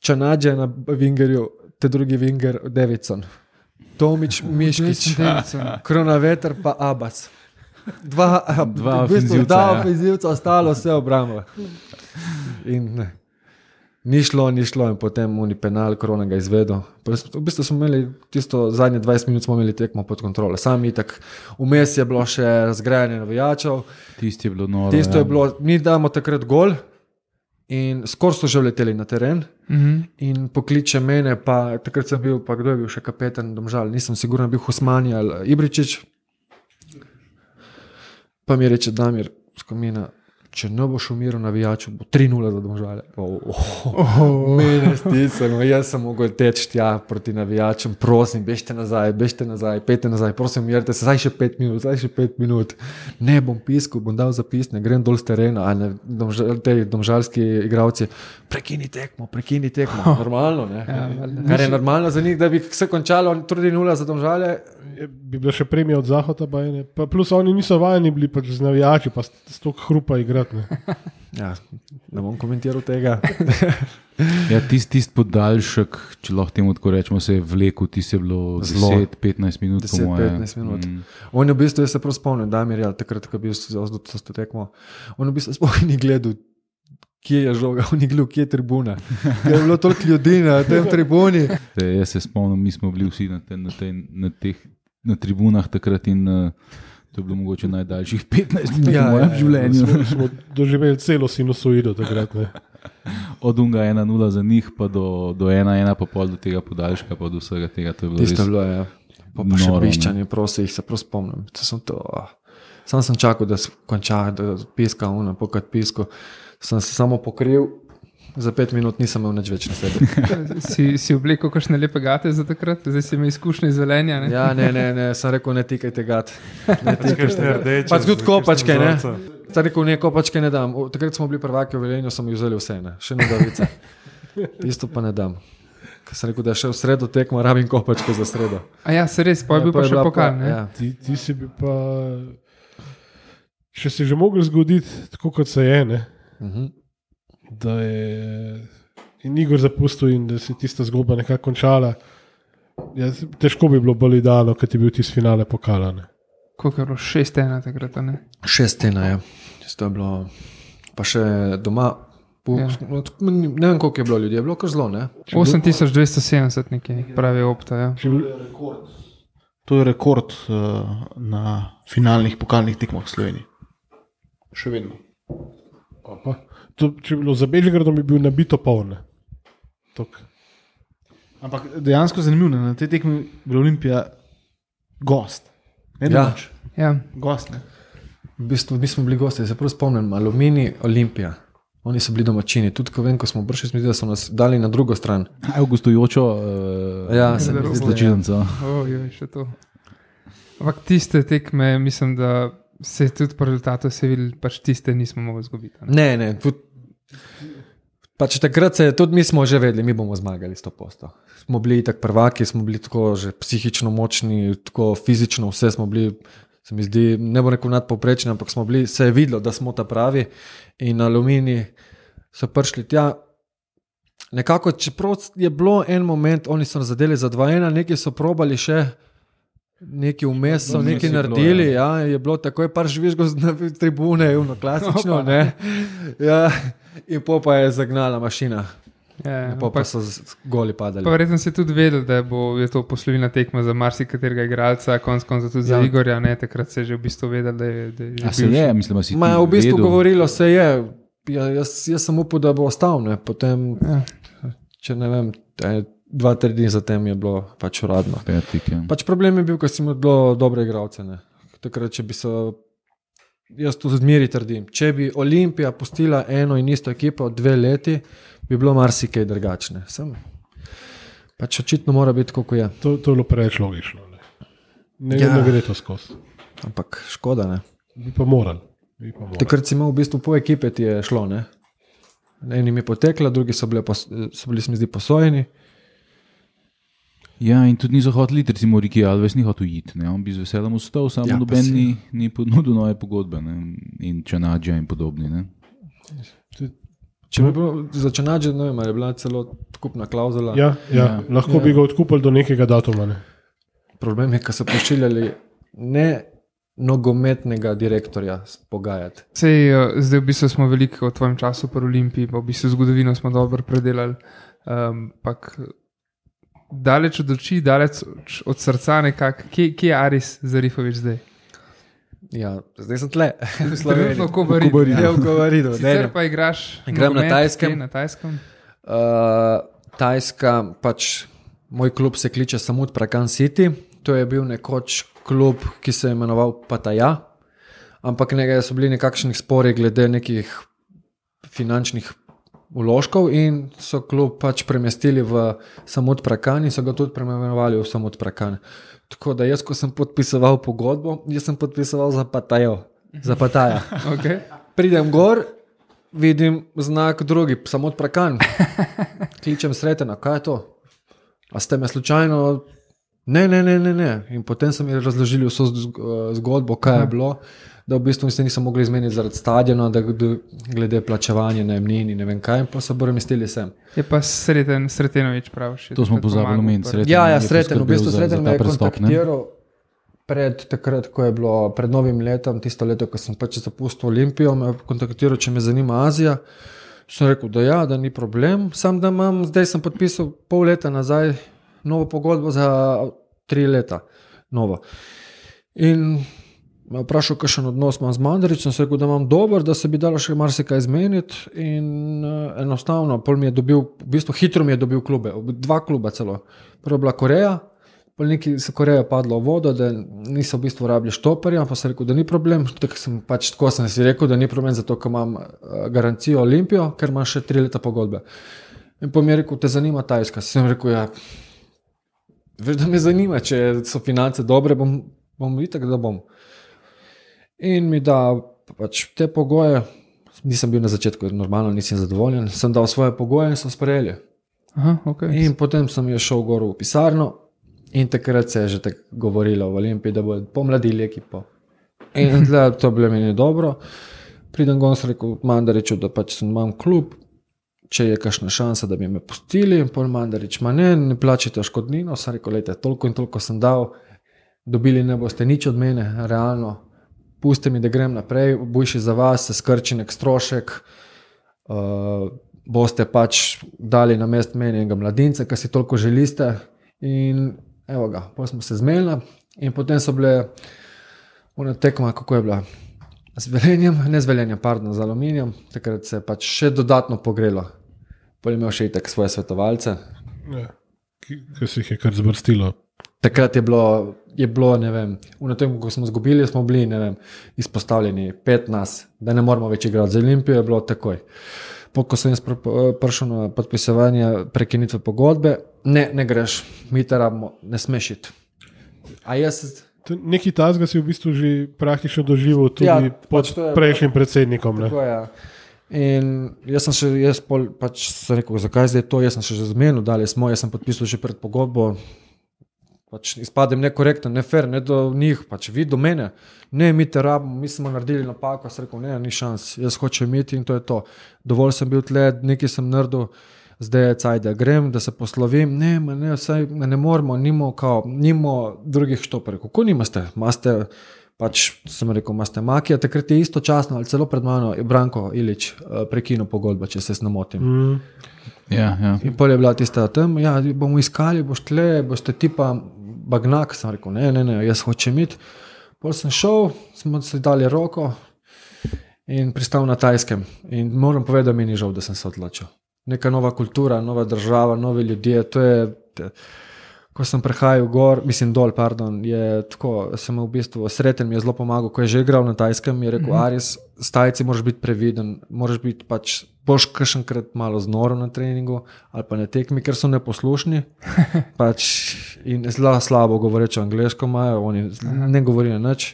Čanađe na vingerju, te drugi vinger Davidson. Tomič, Miškić, Kronaveter pa Abbas. Dva ofenzivca, ostalo vse obrambo. In ne. Ni šlo in potem oni penal, Krona ga izvedel. V bistvu smo imeli tisto zadnje 20 minut smo imeli tekmo pod kontrolo. Sami itak, vmes je bilo še razgrajanje navijačev. Tisto je bilo noro. Tisto je bilo, mi damo takrat gol in skoro so že vleteli na teren. In pokliče mene, pa takrat sem bil, pa kdo je bil še kapetan Domžal, nisem sigurno bil Husmani ali Ibričić. Pa mi reče Damir Skomina, če ne boš umiral navijaču, bo 3-0 za Domžale. Mene stisnemo, jaz sem mogel teči tja proti navijačem, prosim, bežite nazaj, pejte nazaj, prosim, umirite se, zdaj še 5 minut. Ne bom piskal, bom dal zapisne, grem dol z terena, te domžalski igralci, prekini tekmo, normalno, ne? Kar je normalno za njih, da bi se končalo 3-0 za Domžale. Bi bila še premija od Zahoda, pa plus oni niso vajeni bili pač z navijači, pa stok hrupa igrati. Ja, ne bom komentiral tega. Ja, tisti podaljšek, če lahko temu tako rečemo, se je vlekel, tisti je bilo 10-15 minut. 10-15 minut. On je v bistvu, jaz se prav spomnim, Damir, takrat, ko je bil to tekmo, on v bistvu spomnim ni gledal, kje je žoga, on ni gledal, kje je tribuna. Je bilo toliko ljudi na tem tribuni. Jaz se spomnim, mi smo bili vsi na tribunah takrat in to je bilo mogoče najdaljših 15 minut v mojem življenju. Smo doživeli celo sinusoido takrat. Ne. Od unga 1-0 za njih, pa do 1-1, pa pol do tega podaljška, pa do vsega tega. To je bilo tisto bilo, ja. Pa še Bišćan, prosim, jih se prav spomnim. Sam sem čakal, da konča, da piska pokad pisko. Sem se samo pokril, za 5 minut nisem imel nič več na sebi. Si oblekel kakšne lepe gate za takrat, zdaj si imel izkušnje iz Velenja. Ne? Ja, ne, sem rekel, ne tikajte gat. Ne Kakšne rdeče. Pač tudi kopačke, ne. Sem rekel, ne, kopačke ne dam. Takrat smo bili prvaki v Velenju, so mi vzeli vse, ne. Še nogavice. Tisto pa ne dam. Ker sem rekel, da še v sredo tekmo rabim kopačke za sredo. A ja, se res, pa je bil pa še pokal, ne? Ja. Ti si bi pa, če si že mogel zgoditi, tako kot se je, ne? Da je in Igor zapustil in da se tista zgodba nekako končala. Ja, težko bi bilo bolj idealno, ker ti je bil tisti finale pokala. Koliko je bilo? 6-1 takrat, ne? 6-1, ja. To je bilo, pa še doma, ne vem, koliko je bilo ljudi, je bilo kar zelo, ne? 8270 nekaj, pravi Opta, ja. To je rekord na finalnih pokalnih tekmah v Sloveniji. Še vedno. To, če bi bilo za Bežigradom, bi bil nabito poln. Ampak dejansko zanimivo, na tej tekmi je bila Olimpija gost. Ne domač. Ja. Gost, ne. V bistvu, mi smo bili gosti, se prav spomnim, Aluminij, Olimpija. Oni so bili domačini. Tudi, ko vem, ko smo prišli, smo videli, da so nas dali na drugo stran. Aj v gostujočo izločilnico. Še to. Ampak tiste tekme, mislim, da se tudi po rezultatu se videli, pač tiste nismo mogli zgubiti. Ne, pač takrat se, tudi mi smo že vedeli, mi bomo zmagali 100%. Smo bili tak prvaki, smo bili tako že psihično močni, tako fizično, vse smo bili, se mi zdi, ne bo rekel nadpovprečni, ampak smo bili, se je videlo, da smo ta pravi in Aluminij so prišli tja. Nekako, čeprav je bilo en moment, oni so zadeli za 2-1, neki so probali še neki vmes so nekaj naredili, ja, je bilo takoj par žvižgov na tribune, klasično, ne. Ja, in pa je zagnala mašina. Ja, pa so goli padali. Pa verjetno si tudi vedel, da je to poslovna tekma za marsikaterega igralca, konec koncev tudi za Igorja, ne, takrat se je že v bistvu vedel, da je že a se je, mislim, si v bistvu govorilo se je, jaz sem upal, da bo ostal, ne, potem, če ne vem, 2-3 dni zatem je bilo pač uradno. Pač problem je bil, ko si imel dobre igralce. Takrat, če bi se, jaz to zmeri trdim, če bi Olimpija pustila eno in isto ekipo 2 leti, bi bilo marsikaj drugačne. Pač očitno mora biti, kako je. To je bilo preveč logično. Ne gre to skozi. Ampak škoda, ne. Bi pa moral. Takrat si imel v bistvu po ekipe ti je šlo, ne. Enim je potekla, drugi so bili, se mi zdi, posojeni. Ja, in tudi niso hoteli, recimo Riki Alves ni hotel iti, ne? On bi z veseljem ustal, samo noben ni ponudil nove pogodbe, ne? In Čanadža in podobni. Ne? Če bi bilo za Čanadža, ne vem, je bila celo odkupna klauzula. Ja. Lahko bi ga odkupili do nekega datuma. Ne? Problem je, ko so pošiljali ne nogometnega direktorja pogajati. Zdaj v bistvu smo veliko o tvojem času pri Olimpiji, pa v bistvu zgodovino smo dobro predelali, ampak daleč od oči, daleč od srca nekako. Kje je Aris Zarifović zdaj? Ja, zdaj sem tle. Trenutno v Kobaridu. Sicer pa igraš na Tajskem. Na Tajskem? Tajska, pač moj klub se kliče Samut Prakan City. To je bil nekoč klub, ki se je imenoval Pattaya, ampak so bili nekakšnih spori glede nekih finančnih vložkov in so klub pač premestili v Samut Prakan in so ga tudi preimenovali v Samut Prakan. Tako da jaz, ko sem podpisoval pogodbo, jaz sem podpisoval za Pattaya. Okay. Pridem gor, vidim znak drugi, Samut Prakan. Kličem Sretena, kaj je to? A ste me slučajno? Ne. In potem so mi razložili vso zgodbo, kaj je bilo, da v bistvu se niso mogli izmeniti zaradi stadiona, da glede plačevanja najemnin in ne vem kaj, in pa so premestili sem. Je pa Sretenović praviš. To smo pozabili omeniti. Sreten ja, Sreten, v bistvu Sreten me je kontaktiral takrat, ko je bilo pred novim letom, tisto leto, ko sem pač zapustil Olimpijo, me je kontaktiral, če me zanima Azija. Sem rekel, da ja, da ni problem, sam da imam, zdaj sem podpisal pol leta nazaj novo pogodbo za 3 leta. Novo. In me vprašal, kakšen odnos imam z Mandarićem, sem rekel, da imam dober, da se bi dalo še marsikaj izmeniti in enostavno, pol mi je dobil, v bistvu hitro mi je dobil klube, 2 kluba celo. Prvo je bila Koreja, Neki so Koreja padlo v vodo, da niso v bistvu rabili štoperja, pa sem rekel, da ni problem. Tako sem si rekel, da ni problem, zato ker imam garancijo Olimpijo, ker imam še 3 leta pogodbe. In pa mi je rekel, te zanima Tajska. Sem rekel, ja, veš, da me zanima, če so finance dobre, bom itak, da bom. In mi da pač te pogoje, nisem bil na začetku, normalno nisem zadovoljen, sem dal svoje pogoje in so sprejeli. Aha, okay. In potem sem šel gor v pisarno in takrat se je že tako govorilo v Olimpiji, da bodo pomladili ekipo. In to je bilo meni dobro. Pridem gor, sem rekel Mandariču, da pač imam klub, če je kakšna šansa, da bi me pustili. In pol Mandarič, ne plačite škodnino. Sem rekel, lejte, toliko in toliko sem dal, dobili ne boste nič od mene, realno. Puste mi, da grem naprej, bojši za vas, se skrči nek strošek, boste pač dali na mest meni enega mladinca, ki si toliko želite. In evo ga, potem smo se zmenili in potem so bile ona tekma, kako je bila, z Velenjem, z Aluminijem, takrat se je pač še dodatno pogrelo. Potem je imel še itak svoje svetovalce. Ja, ki se jih je kar zbrstilo. Takrat je bilo, ne vem, v tem, ko smo izgubili, smo bili, ne vem, izpostavljeni 15, da ne moramo več igrati. Za Olimpijo je bilo takoj. Ko sem prišel na podpisovanje prekinitve pogodbe, ne greš, mi te rabimo, ne smeš iti. Neki tazga si v bistvu že praktično doživel tudi pod prejšnjim predsednikom. Tako je. In jaz sem rekel, zakaj zdaj to, jaz sem še zmenil, jaz sem podpisal že pred pogodbo, pač izpadem nekorekten, ne fair, ne do njih, pač vi do mene, ne, mi te rabimo, mi smo naredili napako, sem rekel, ne, ni šans, jaz hočem imeti in to je to. Dovolj sem bil tle, nekaj sem naredil, zdaj je caj, da grem, da se poslovim, ne moramo, nimo drugih štoperjev. Kako nimaste? Pač sem rekel, imate Makija, takrat je istočasno ali celo pred mano je Branko Ilić prekinil pogodbo, če se ne motim. Ja. In pol je bila tista tam, ja, bomo iskali, boste tipa Bagnak, sem rekel, ne, jaz hočem iti. Pol sem šel, smo se dali roko in pristal na Tajskem. In moram povedati, da mi ni žal, da sem se odločil. Neka nova kultura, nova država, novi ljudje, to je, ko sem prehajal dol, je tako, sem v bistvu sreten, mi je zelo pomagal, ko je že igral na Tajskem, mi je rekel, Aris, s Tajci moraš biti previden, moraš biti pač boš kakšenkrat malo znoro na treningu ali pa na tekmi, ker so neposlušni pač in zelo slabo govoreče angleško imajo, oni ne govorijo nič.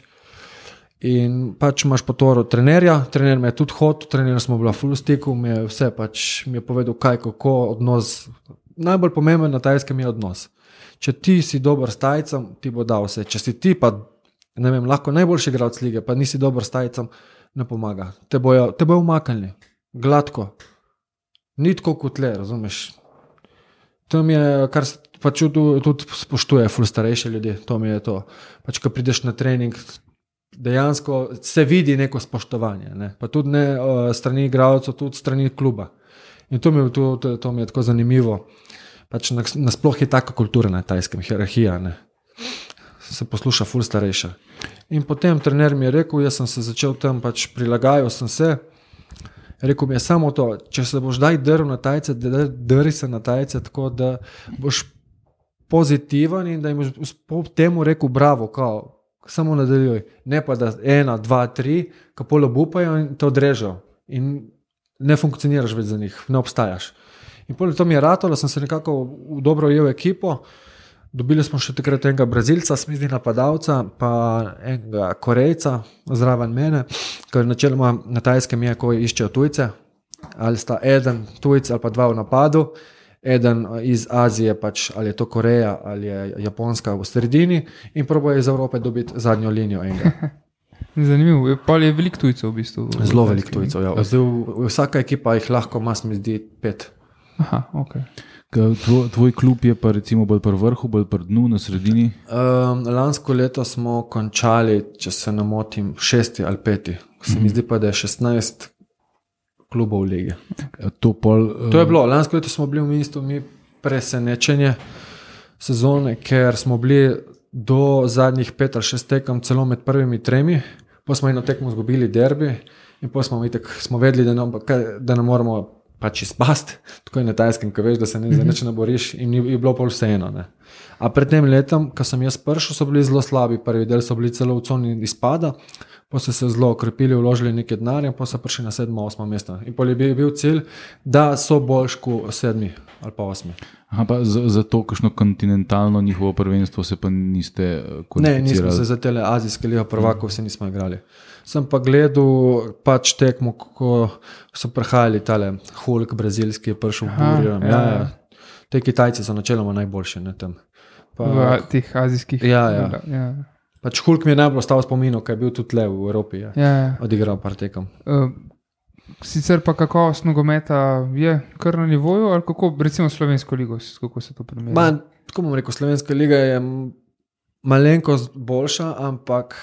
In pač imaš potoro trenerja, trener me je tudi hotel, trener smo bila full stiku, mi je povedal kaj, kako, odnos, najbolj pomemben na Tajskem je odnos. Če ti si dober s Tajcem, ti bo dal vse. Če si ti pa, ne vem, lahko najboljši igralec lige, pa nisi dober s Tajcem, ne pomaga. Te bojo umaknili. Gladko. Ni tako kot le, razumeš. To mi je, kar se pač tudi spoštuje ful starejše ljudi, to mi je to. Pač, ko prideš na trening, dejansko se vidi neko spoštovanje, ne? Pa tudi ne strani igralcev, tudi strani kluba. In to mi je tako zanimivo. Pač nasploh je taka kultura na Tajskem, hierarhija, ne? Se posluša ful starejša. In potem trener mi je rekel, jaz sem se začel tam, pač prilagajal sem se. Rekel mi je samo to, če se boš daj drl na Tajce, drži se na Tajce, tako da boš pozitiven in da jim boš po temu rekel bravo, samo nadaljuj. Ne pa da 1, 2, 3, ko pol obupajo in te odrežejo. In ne funkcioniraš več za njih, ne obstajaš. In potem to mi je ratalo, sem se nekako dobro ujel ekipo, dobili smo še takrat enega Brazilca, smizdi napadalca, pa enega Korejca zraven mene, ker načeloma na Tajskem je, ko iščejo tujce, ali sta eden tujc ali pa 2 v napadu, eden iz Azije, pač, ali je to Koreja ali je Japonska v sredini in probojo iz Evrope dobiti zadnjo linijo enega. Zanimivo, pa je veliko tujcev v bistvu. Zelo veliko tujcev, ja. Vsaka ekipa jih lahko ima, mi zdi 5. Aha, ok. Tvoj klub je pa recimo bolj pri vrhu, bolj pri dnu, na sredini? Lansko leto smo končali, če se ne motim, 6. ali 5. Se mi zdi pa, da je 16 klubov v ligi. To je bilo, lansko leto smo bili v mestu mi presenečenje sezone, ker smo bili do zadnjih 5 ali 6 tekem celo med prvimi 3, pa smo eno tekmo izgubili derbi in pa smo vedeli, da ne moramo pač izpast, tako je na Tajskem, ko veš, da se nič ne boriš in je bilo pol vseeno. A pred tem letom, ko sem jaz prišel, so bili zelo slabi. Prvi del so bili celo v coni izpada, pa so se zelo okrepili, vložili nekaj denarja, pa so prišli na 7., 8. mesto. In pol je bil cilj, da so boljši kot 7. ali pa 8. Aha, pa za to, kakšno kontinentalno njihovo prvenstvo se pa niste kvalificirali? Ne, nismo se za tele azijske liga prvakov se nismo igrali. Sem pa gledal pač tekmo, ko so prihajali tale Hulk brazilski, je prišel v Burjo. Ja. Te Kitajci so načeloma najboljši, ne, tam. V teh azijskih. Ja. Pač Hulk mi je najbolj ostal v spominu, kaj je bil tudi le v Evropi. Ja. Odigral par tekem. Sicer pa kakovost nogometa je kar na nivoju, ali kako, recimo slovensko ligo, kako se to primerja? Tako bom rekel, slovenska liga je malenkost boljša, ampak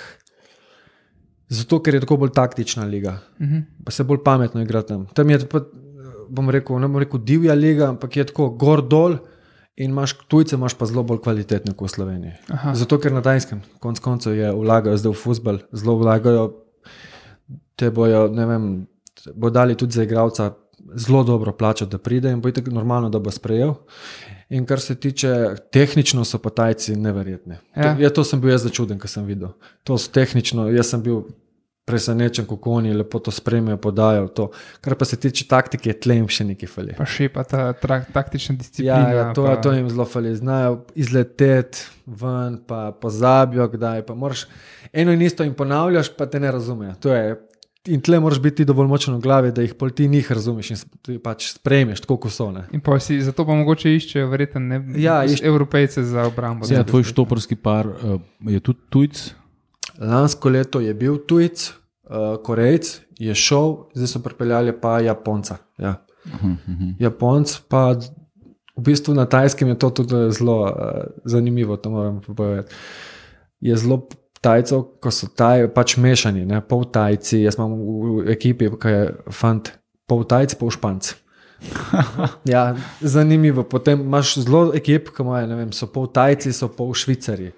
zato, ker je tako bolj taktična liga. Pa se bolj pametno igra tam. Tam je, bom rekel, ne bom rekel divja liga, ampak je tako gor dol in tujce imaš pa zelo bolj kvalitetne kot v Sloveniji. Aha. Zato, ker na Danskem konec koncev vlagajo zdaj v fuzbal, zelo vlagajo, te bojo, ne vem, bo dali tudi za igralca zelo dobro plačati, da pride in bo itak normalno, da bo sprejel. In kar se tiče tehnično, so pa Tajci neverjetni. To sem bil jaz začuden, ko sem videl. To so tehnično, jaz sem bil presenečen, kako oni lepo to spremljajo, podajo to. Kar pa se tiče taktike, je tle jim še nekaj fali. Pa še pa ta taktična disciplina. Ja, to jim zelo fali. Znajo izleteti ven, pa pozabijo kdaj, pa moraš eno in isto jim ponavljaš, pa te ne razumejo. To je. In tle moraš biti dovolj močen v glavi, da jih pol ti njih razumeš in pač sprejmeš, tako kot so. Ne? In pa si zato pa mogoče iščejo verjetno Evropejce za obrambo. Ja, tvoj štoparski par je tudi tujc? Lansko leto je bil tujc, Korejc je šel, zdaj so pripeljali pa Japonca. Ja. Japonc pa v bistvu na Tajskem je to tudi zelo zanimivo, to moram povedati. Je zelo Tajcev, ko so pač mešani, ne, pol Tajci, jaz imam v ekipi, ki je fant, pol Tajci, pol Španc. Ja, zanimivo. Potem imaš zelo ekip, ki imajo, ne vem, so pol Tajci, so pol Švicari,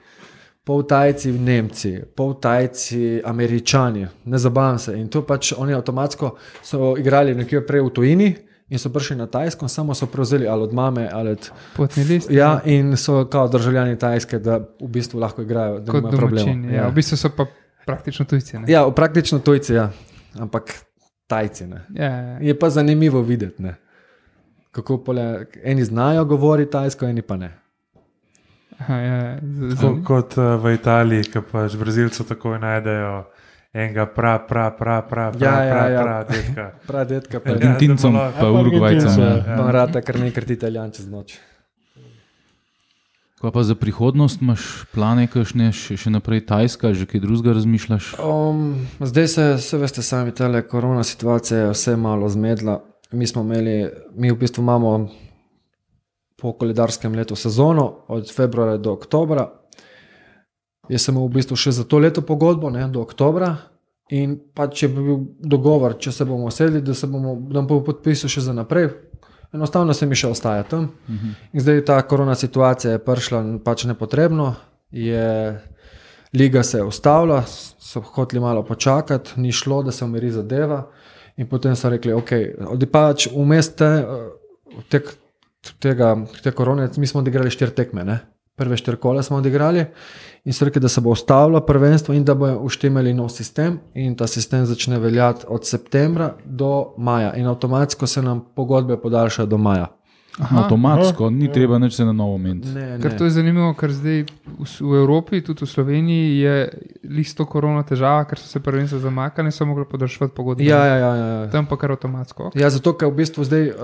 pol Tajci Nemci, pol Tajci Američani, ne zabavam se. In to pač oni avtomatsko so igrali nekje prej v tujini, in so prišli na Tajsko, samo so prevzeli ali od mame ali od potni list. Ja, in so kao državljani Tajske, da v bistvu lahko igrajo, da nimajo problema. Ja. V bistvu so pa praktično tujci. Ne? Ja, praktično tujci, ja. Ampak Tajci. Ne. Ja. Je pa zanimivo videti, ne. Kako eni znajo govoriti tajsko, eni pa ne. Aha, ja. Kot v Italiji, ki pač Brazilcev takoj najdejo enega detka. Detka. Argentincom pa Urugvajcem. Pa rata kar nekrat Italijan čez noč. Kaj pa za prihodnost imaš plane, kakšne še naprej Tajska, že kaj drugega razmišljaš? Zdaj se veste sami, tale korona situacija je vse malo zmedla. Mi v bistvu imamo po koledarskem letu sezono od februarja do oktobra. Jaz sem v bistvu še za to leto pogodbo, ne, do oktobra, in pač je bil dogovor, če se bomo sedli, da bomo podpisali še za naprej. Enostavno se mi še ostaja tam. In zdaj ta korona situacija je prišla pač nepotrebno, liga se je ustavila, so hoteli malo počakati, ni šlo, da se umiri zadeva, in potem so rekli, ok, pač vmes te korone, mi smo odigrali 4 tekme, ne? Prve 4 kola smo odigrali in so rekli, da se bo ustavilo prvenstvo in da bo uštemeli nov sistem in ta sistem začne veljati od septembra do maja in avtomatsko se nam pogodbe podaljšajo do maja. Aha, avtomatsko, ni treba nič se na novo meniti. Ker to je zanimivo, ker zdaj v Evropi, tudi v Sloveniji je listo korona težava, ker so se prvenstva zamakali in so mogli podaljšati pogodbe. Ja. Tam pa kar avtomatsko. Ja, zato ker v bistvu zdaj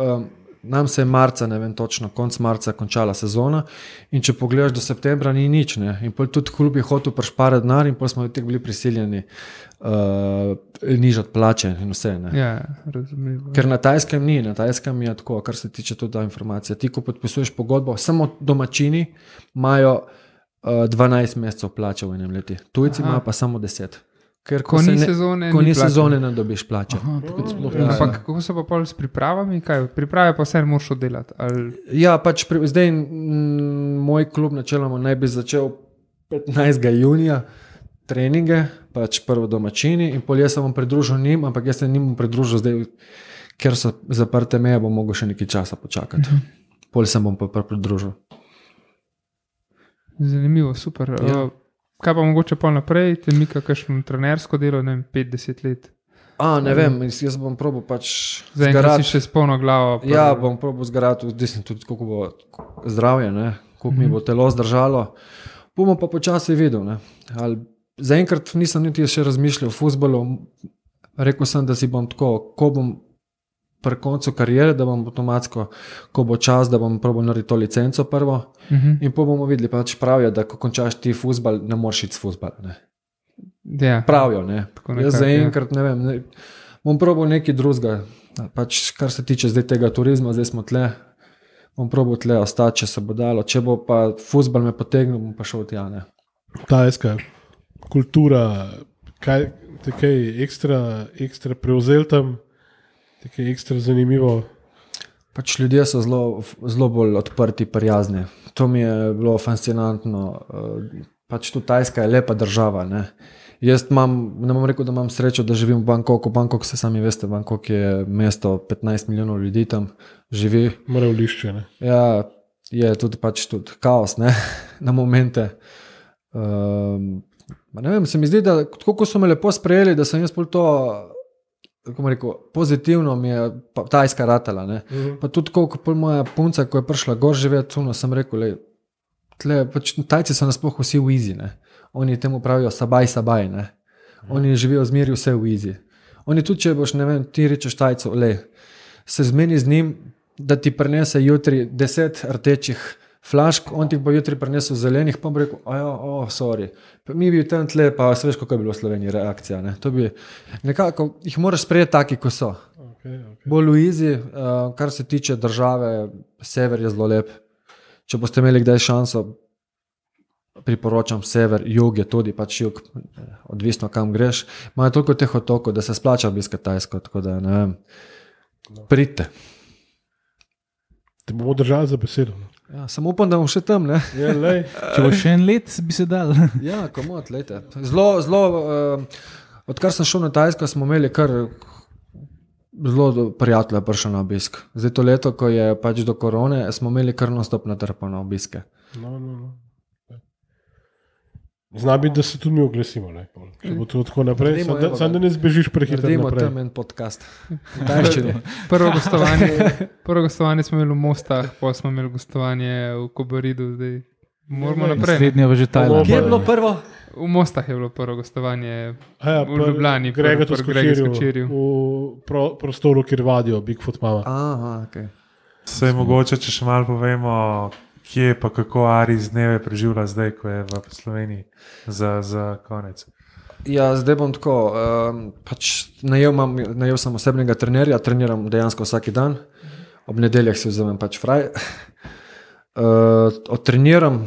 nam se je marca, ne vem točno, konc marca končala sezona in če pogledaš do septembra ni nič, ne. In pol tudi klub je hotel prišparati denar in pol smo tek bili prisiljeni nižati plače in vse, ne. Ja, razumljivo. Ker na Tajskem je tako, kar se tiče tudi ta informacija. Ti, ko podpisuješ pogodbo, samo domačini imajo 12 mesecev plače v enem leti. Tujci imajo pa samo 10. Ker ko ni sezone, ne dobiš plače. Ampak kako so pa pol s pripravami? Kaj? Priprave pa vse moraš oddelati? Ali... Ja, pač zdaj moj klub načeloma naj bi začel 15. junija treninge, pač prvo domačini in pol jaz se bom pridružil njim, ampak jaz se njim bom pridružil zdaj, ker so zaprte meje, bom mogel še nekaj časa počakati. Pol se bom pa pridružil. Zanimivo, super. Kaj pa mogoče pa naprej, te mika kakšno trenersko delo, ne vem, 5-10 let? Ne vem, jaz bom probal pač zgarati. Si še s polno glavo. Ja, bom probal zgarati, odvisno tudi, koliko bo zdravje, ne? Koliko mi bo telo zdržalo. Bomo pa počasi videl. Ne? Zaenkrat nisem niti še razmišljal o fuzbalu. Rekel sem, da si bom tako, ko bom pri koncu karijere, da bom avtomatsko, ko bo čas, da bom probal narediti to licenco prvo in pa bomo videli, pač pravijo, da ko končaš ti fuzbal, ne moreš iti s fuzbal. Ja. Pravijo, ne. Jaz zaenkrat ne vem, bom probal nekaj drugega, pač kar se tiče zdaj tega turizma, zdaj smo tle, bom probal tle ostati, če se bo dalo, če bo pa fuzbal me potegnil, bom pa šel tja, ne. Ta eska kultura, kaj ekstra prevzel tam, tako je ekstra zanimivo. Pač ljudje so zelo bolj odprti, prijazni. To mi je bilo fascinantno. Pač tu Tajska je lepa država. Ne? Jaz ne bom rekel, da imam srečo, da živim v Bangkoku. Bangkok se sami veste, Bangkok je mesto, 15 milijonov ljudi tam živi. Mora v lišče, ne? Ja, je tudi pač tudi kaos, ne? Na momente. Ne vem, se mi zdi, da kako so me lepo sprejeli, da sem jaz pol to... Kako rekel, pozitivno mi je Tajska ratala. Pa tudi koliko moja punca, ko je prišla gor živeti, sem rekel, pač, Tajci so nasploh vsi v easy. Ne? Oni temu pravijo sabaj. Ne? Oni živijo zmeri vse v easy. Oni tudi, če boš, ne vem, ti rečeš Tajcu, se zmeni z njim, da ti prinese jutri 10 rdečih flašk, on ti bo jutri prinesel zelenih, pa bo rekel, sorry. Pa mi bi tam tle, pa se veš, kako je bilo v Sloveniji reakcija. Ne? To bi nekako, jih moraš sprejeti taki, ko so. Okay. Bolj v easy, kar se tiče države, sever je zelo lep. Če boste imeli kdaj šanso, priporočam sever, jug je tudi, pač jug, odvisno kam greš. Imajo toliko teh otokov, da se splača obiskati Tajsko, tako da ne vem, pridite. Te bomo držali za besedo. Ja, samo upam, da bom še tam, ne? Če bo še en let, bi se dal. Ja, komod, lejte. Zelo, odkar sem šel na Tajsko, smo imeli kar zelo prijatelja prišel na obisk. Zdaj to leto, ko je pač do korone, smo imeli kar non-stop natrpo na obiske. No. Zna biti, da se tudi mi oglesimo. Če bo to tako naprej, samo da ne zbežiš prehitro naprej. Naredimo tam en podcast. Prvo gostovanje smo imeli v Mostah, pa smo imeli gostovanje v Kobaridu. Zdaj moramo naprej. Srednja v že Tajlandu. Kje je bilo prvo? V Mostah je bilo prvo gostovanje, v Ljubljani. Grega Skočirju. V prostoru, kjer vadijo Bigfoot mama. Aha, okej. Sej mogoče, če še malo povemo, kje pa kako Aris dneve preživlja zdaj, ko je v Sloveniji za konec. Ja, zdaj bom tako, pač najel sem osebnega trenerja, treniram dejansko vsaki dan, ob nedeljah si vzamem pač fraj. Odtreniram,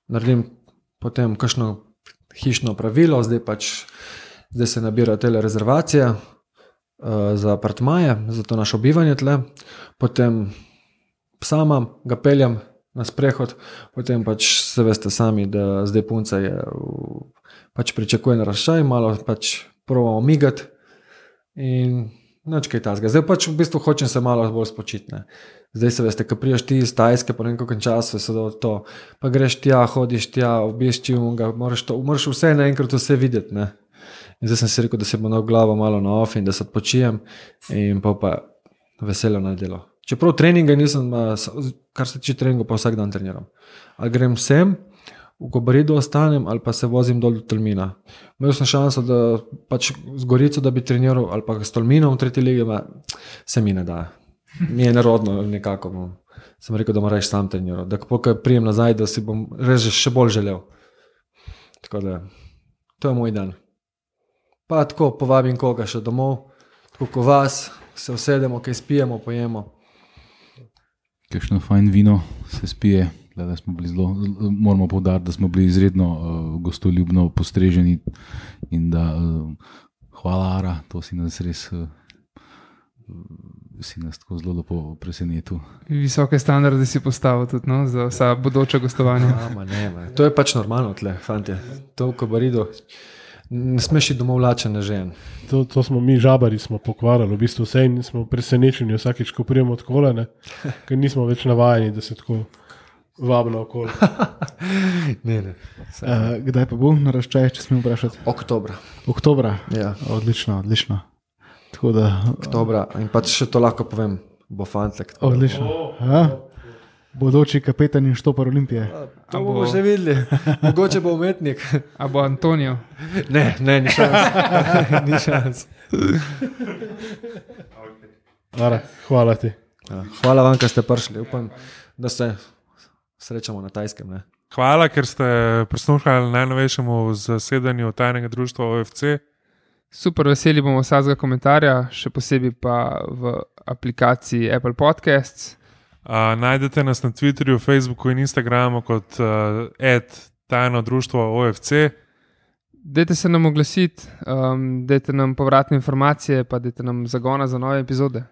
naredim potem kakšno hišno pravilo, zdaj se nabirajo tele rezervacije za apartmaje, za to naše bivanje tle, potem psa imam, ga peljem na sprehod, potem pač se veste sami, da zdaj punca je pač pričakuje naraščaj, malo pač probamo migati in nič kaj tazga. Zdaj pač v bistvu hočem se malo bolj spočiti. Ne. Zdaj se veste, ko prijaš ti iz Tajske, po nekakšnem času se da to, pa greš tja, hodiš tja, obišči unga, moraš vse naenkrat vse videti. Ne. In zdaj sem si rekel, da se bo na glavo malo na off in da se odpočijem in pa veselo na delo. Čeprav treninga nisem, kar se tiče treninga, pa vsak dan treniram. Ali grem sem, v Kobaridu ostanem, ali pa se vozim dol do Tolmina. Imel sem šanso, da pač z Gorico, da bi treniral, ali pa s Tolminom v 3. ligi, se mi ne da. Mi je nerodno nekako. Sem rekel, da moram reči sam treniral. Da ko prijem nazaj, da si bom reči še bolj želel. Tako da, to je moj dan. Pa tako povabim koga še domov, tako ko vas, se usedemo, kaj spijemo, pojemo. Kakšno fajn vino se spije, da smo bili moramo poudariti, da smo bili izredno gostoljubno postreženi in da hvala Ara, to si nas res tako zelo lepo presenetil. Visoke standarde si postavil tudi za vsa bodoča gostovanja. To je pač normalno tle, fantje. To v Kobaridu. Ne smeš iti domov lačen, ne žen. To smo mi žabari smo pokvarali, v bistvu vse in smo presenečeni vsakeč, ko prijemo od kolene, ker nismo več navajeni, da se tako vabno okolje. Ne. Kdaj pa bo naraščaj, če smem vprašati? Oktobra. Ja. Odlično. Tako da, Oktobra. In pa še to lahko povem, bo fantek. odlično. Bodoči kapetan in štopar Olimpije. To bomo še videli. Mogoče bo umetnik. A bo Antonijo? Ne, ni šans. Ni šans. Hvala ti. Ja, hvala vam, da ste prišli. Upam, da se srečamo na Tajskem. Ne? Hvala, ker ste prisluhnili najnovejšemu zasedanju tajnega društva OFC. Super, veseli bomo vsakega komentarja, še posebej pa v aplikaciji Apple Podcasts. Najdete nas na Twitterju, Facebooku in Instagramu kot @tajno društvo OFC. Dajte se nam oglasiti, dajte nam povratne informacije, pa dajte nam zagona za nove epizode.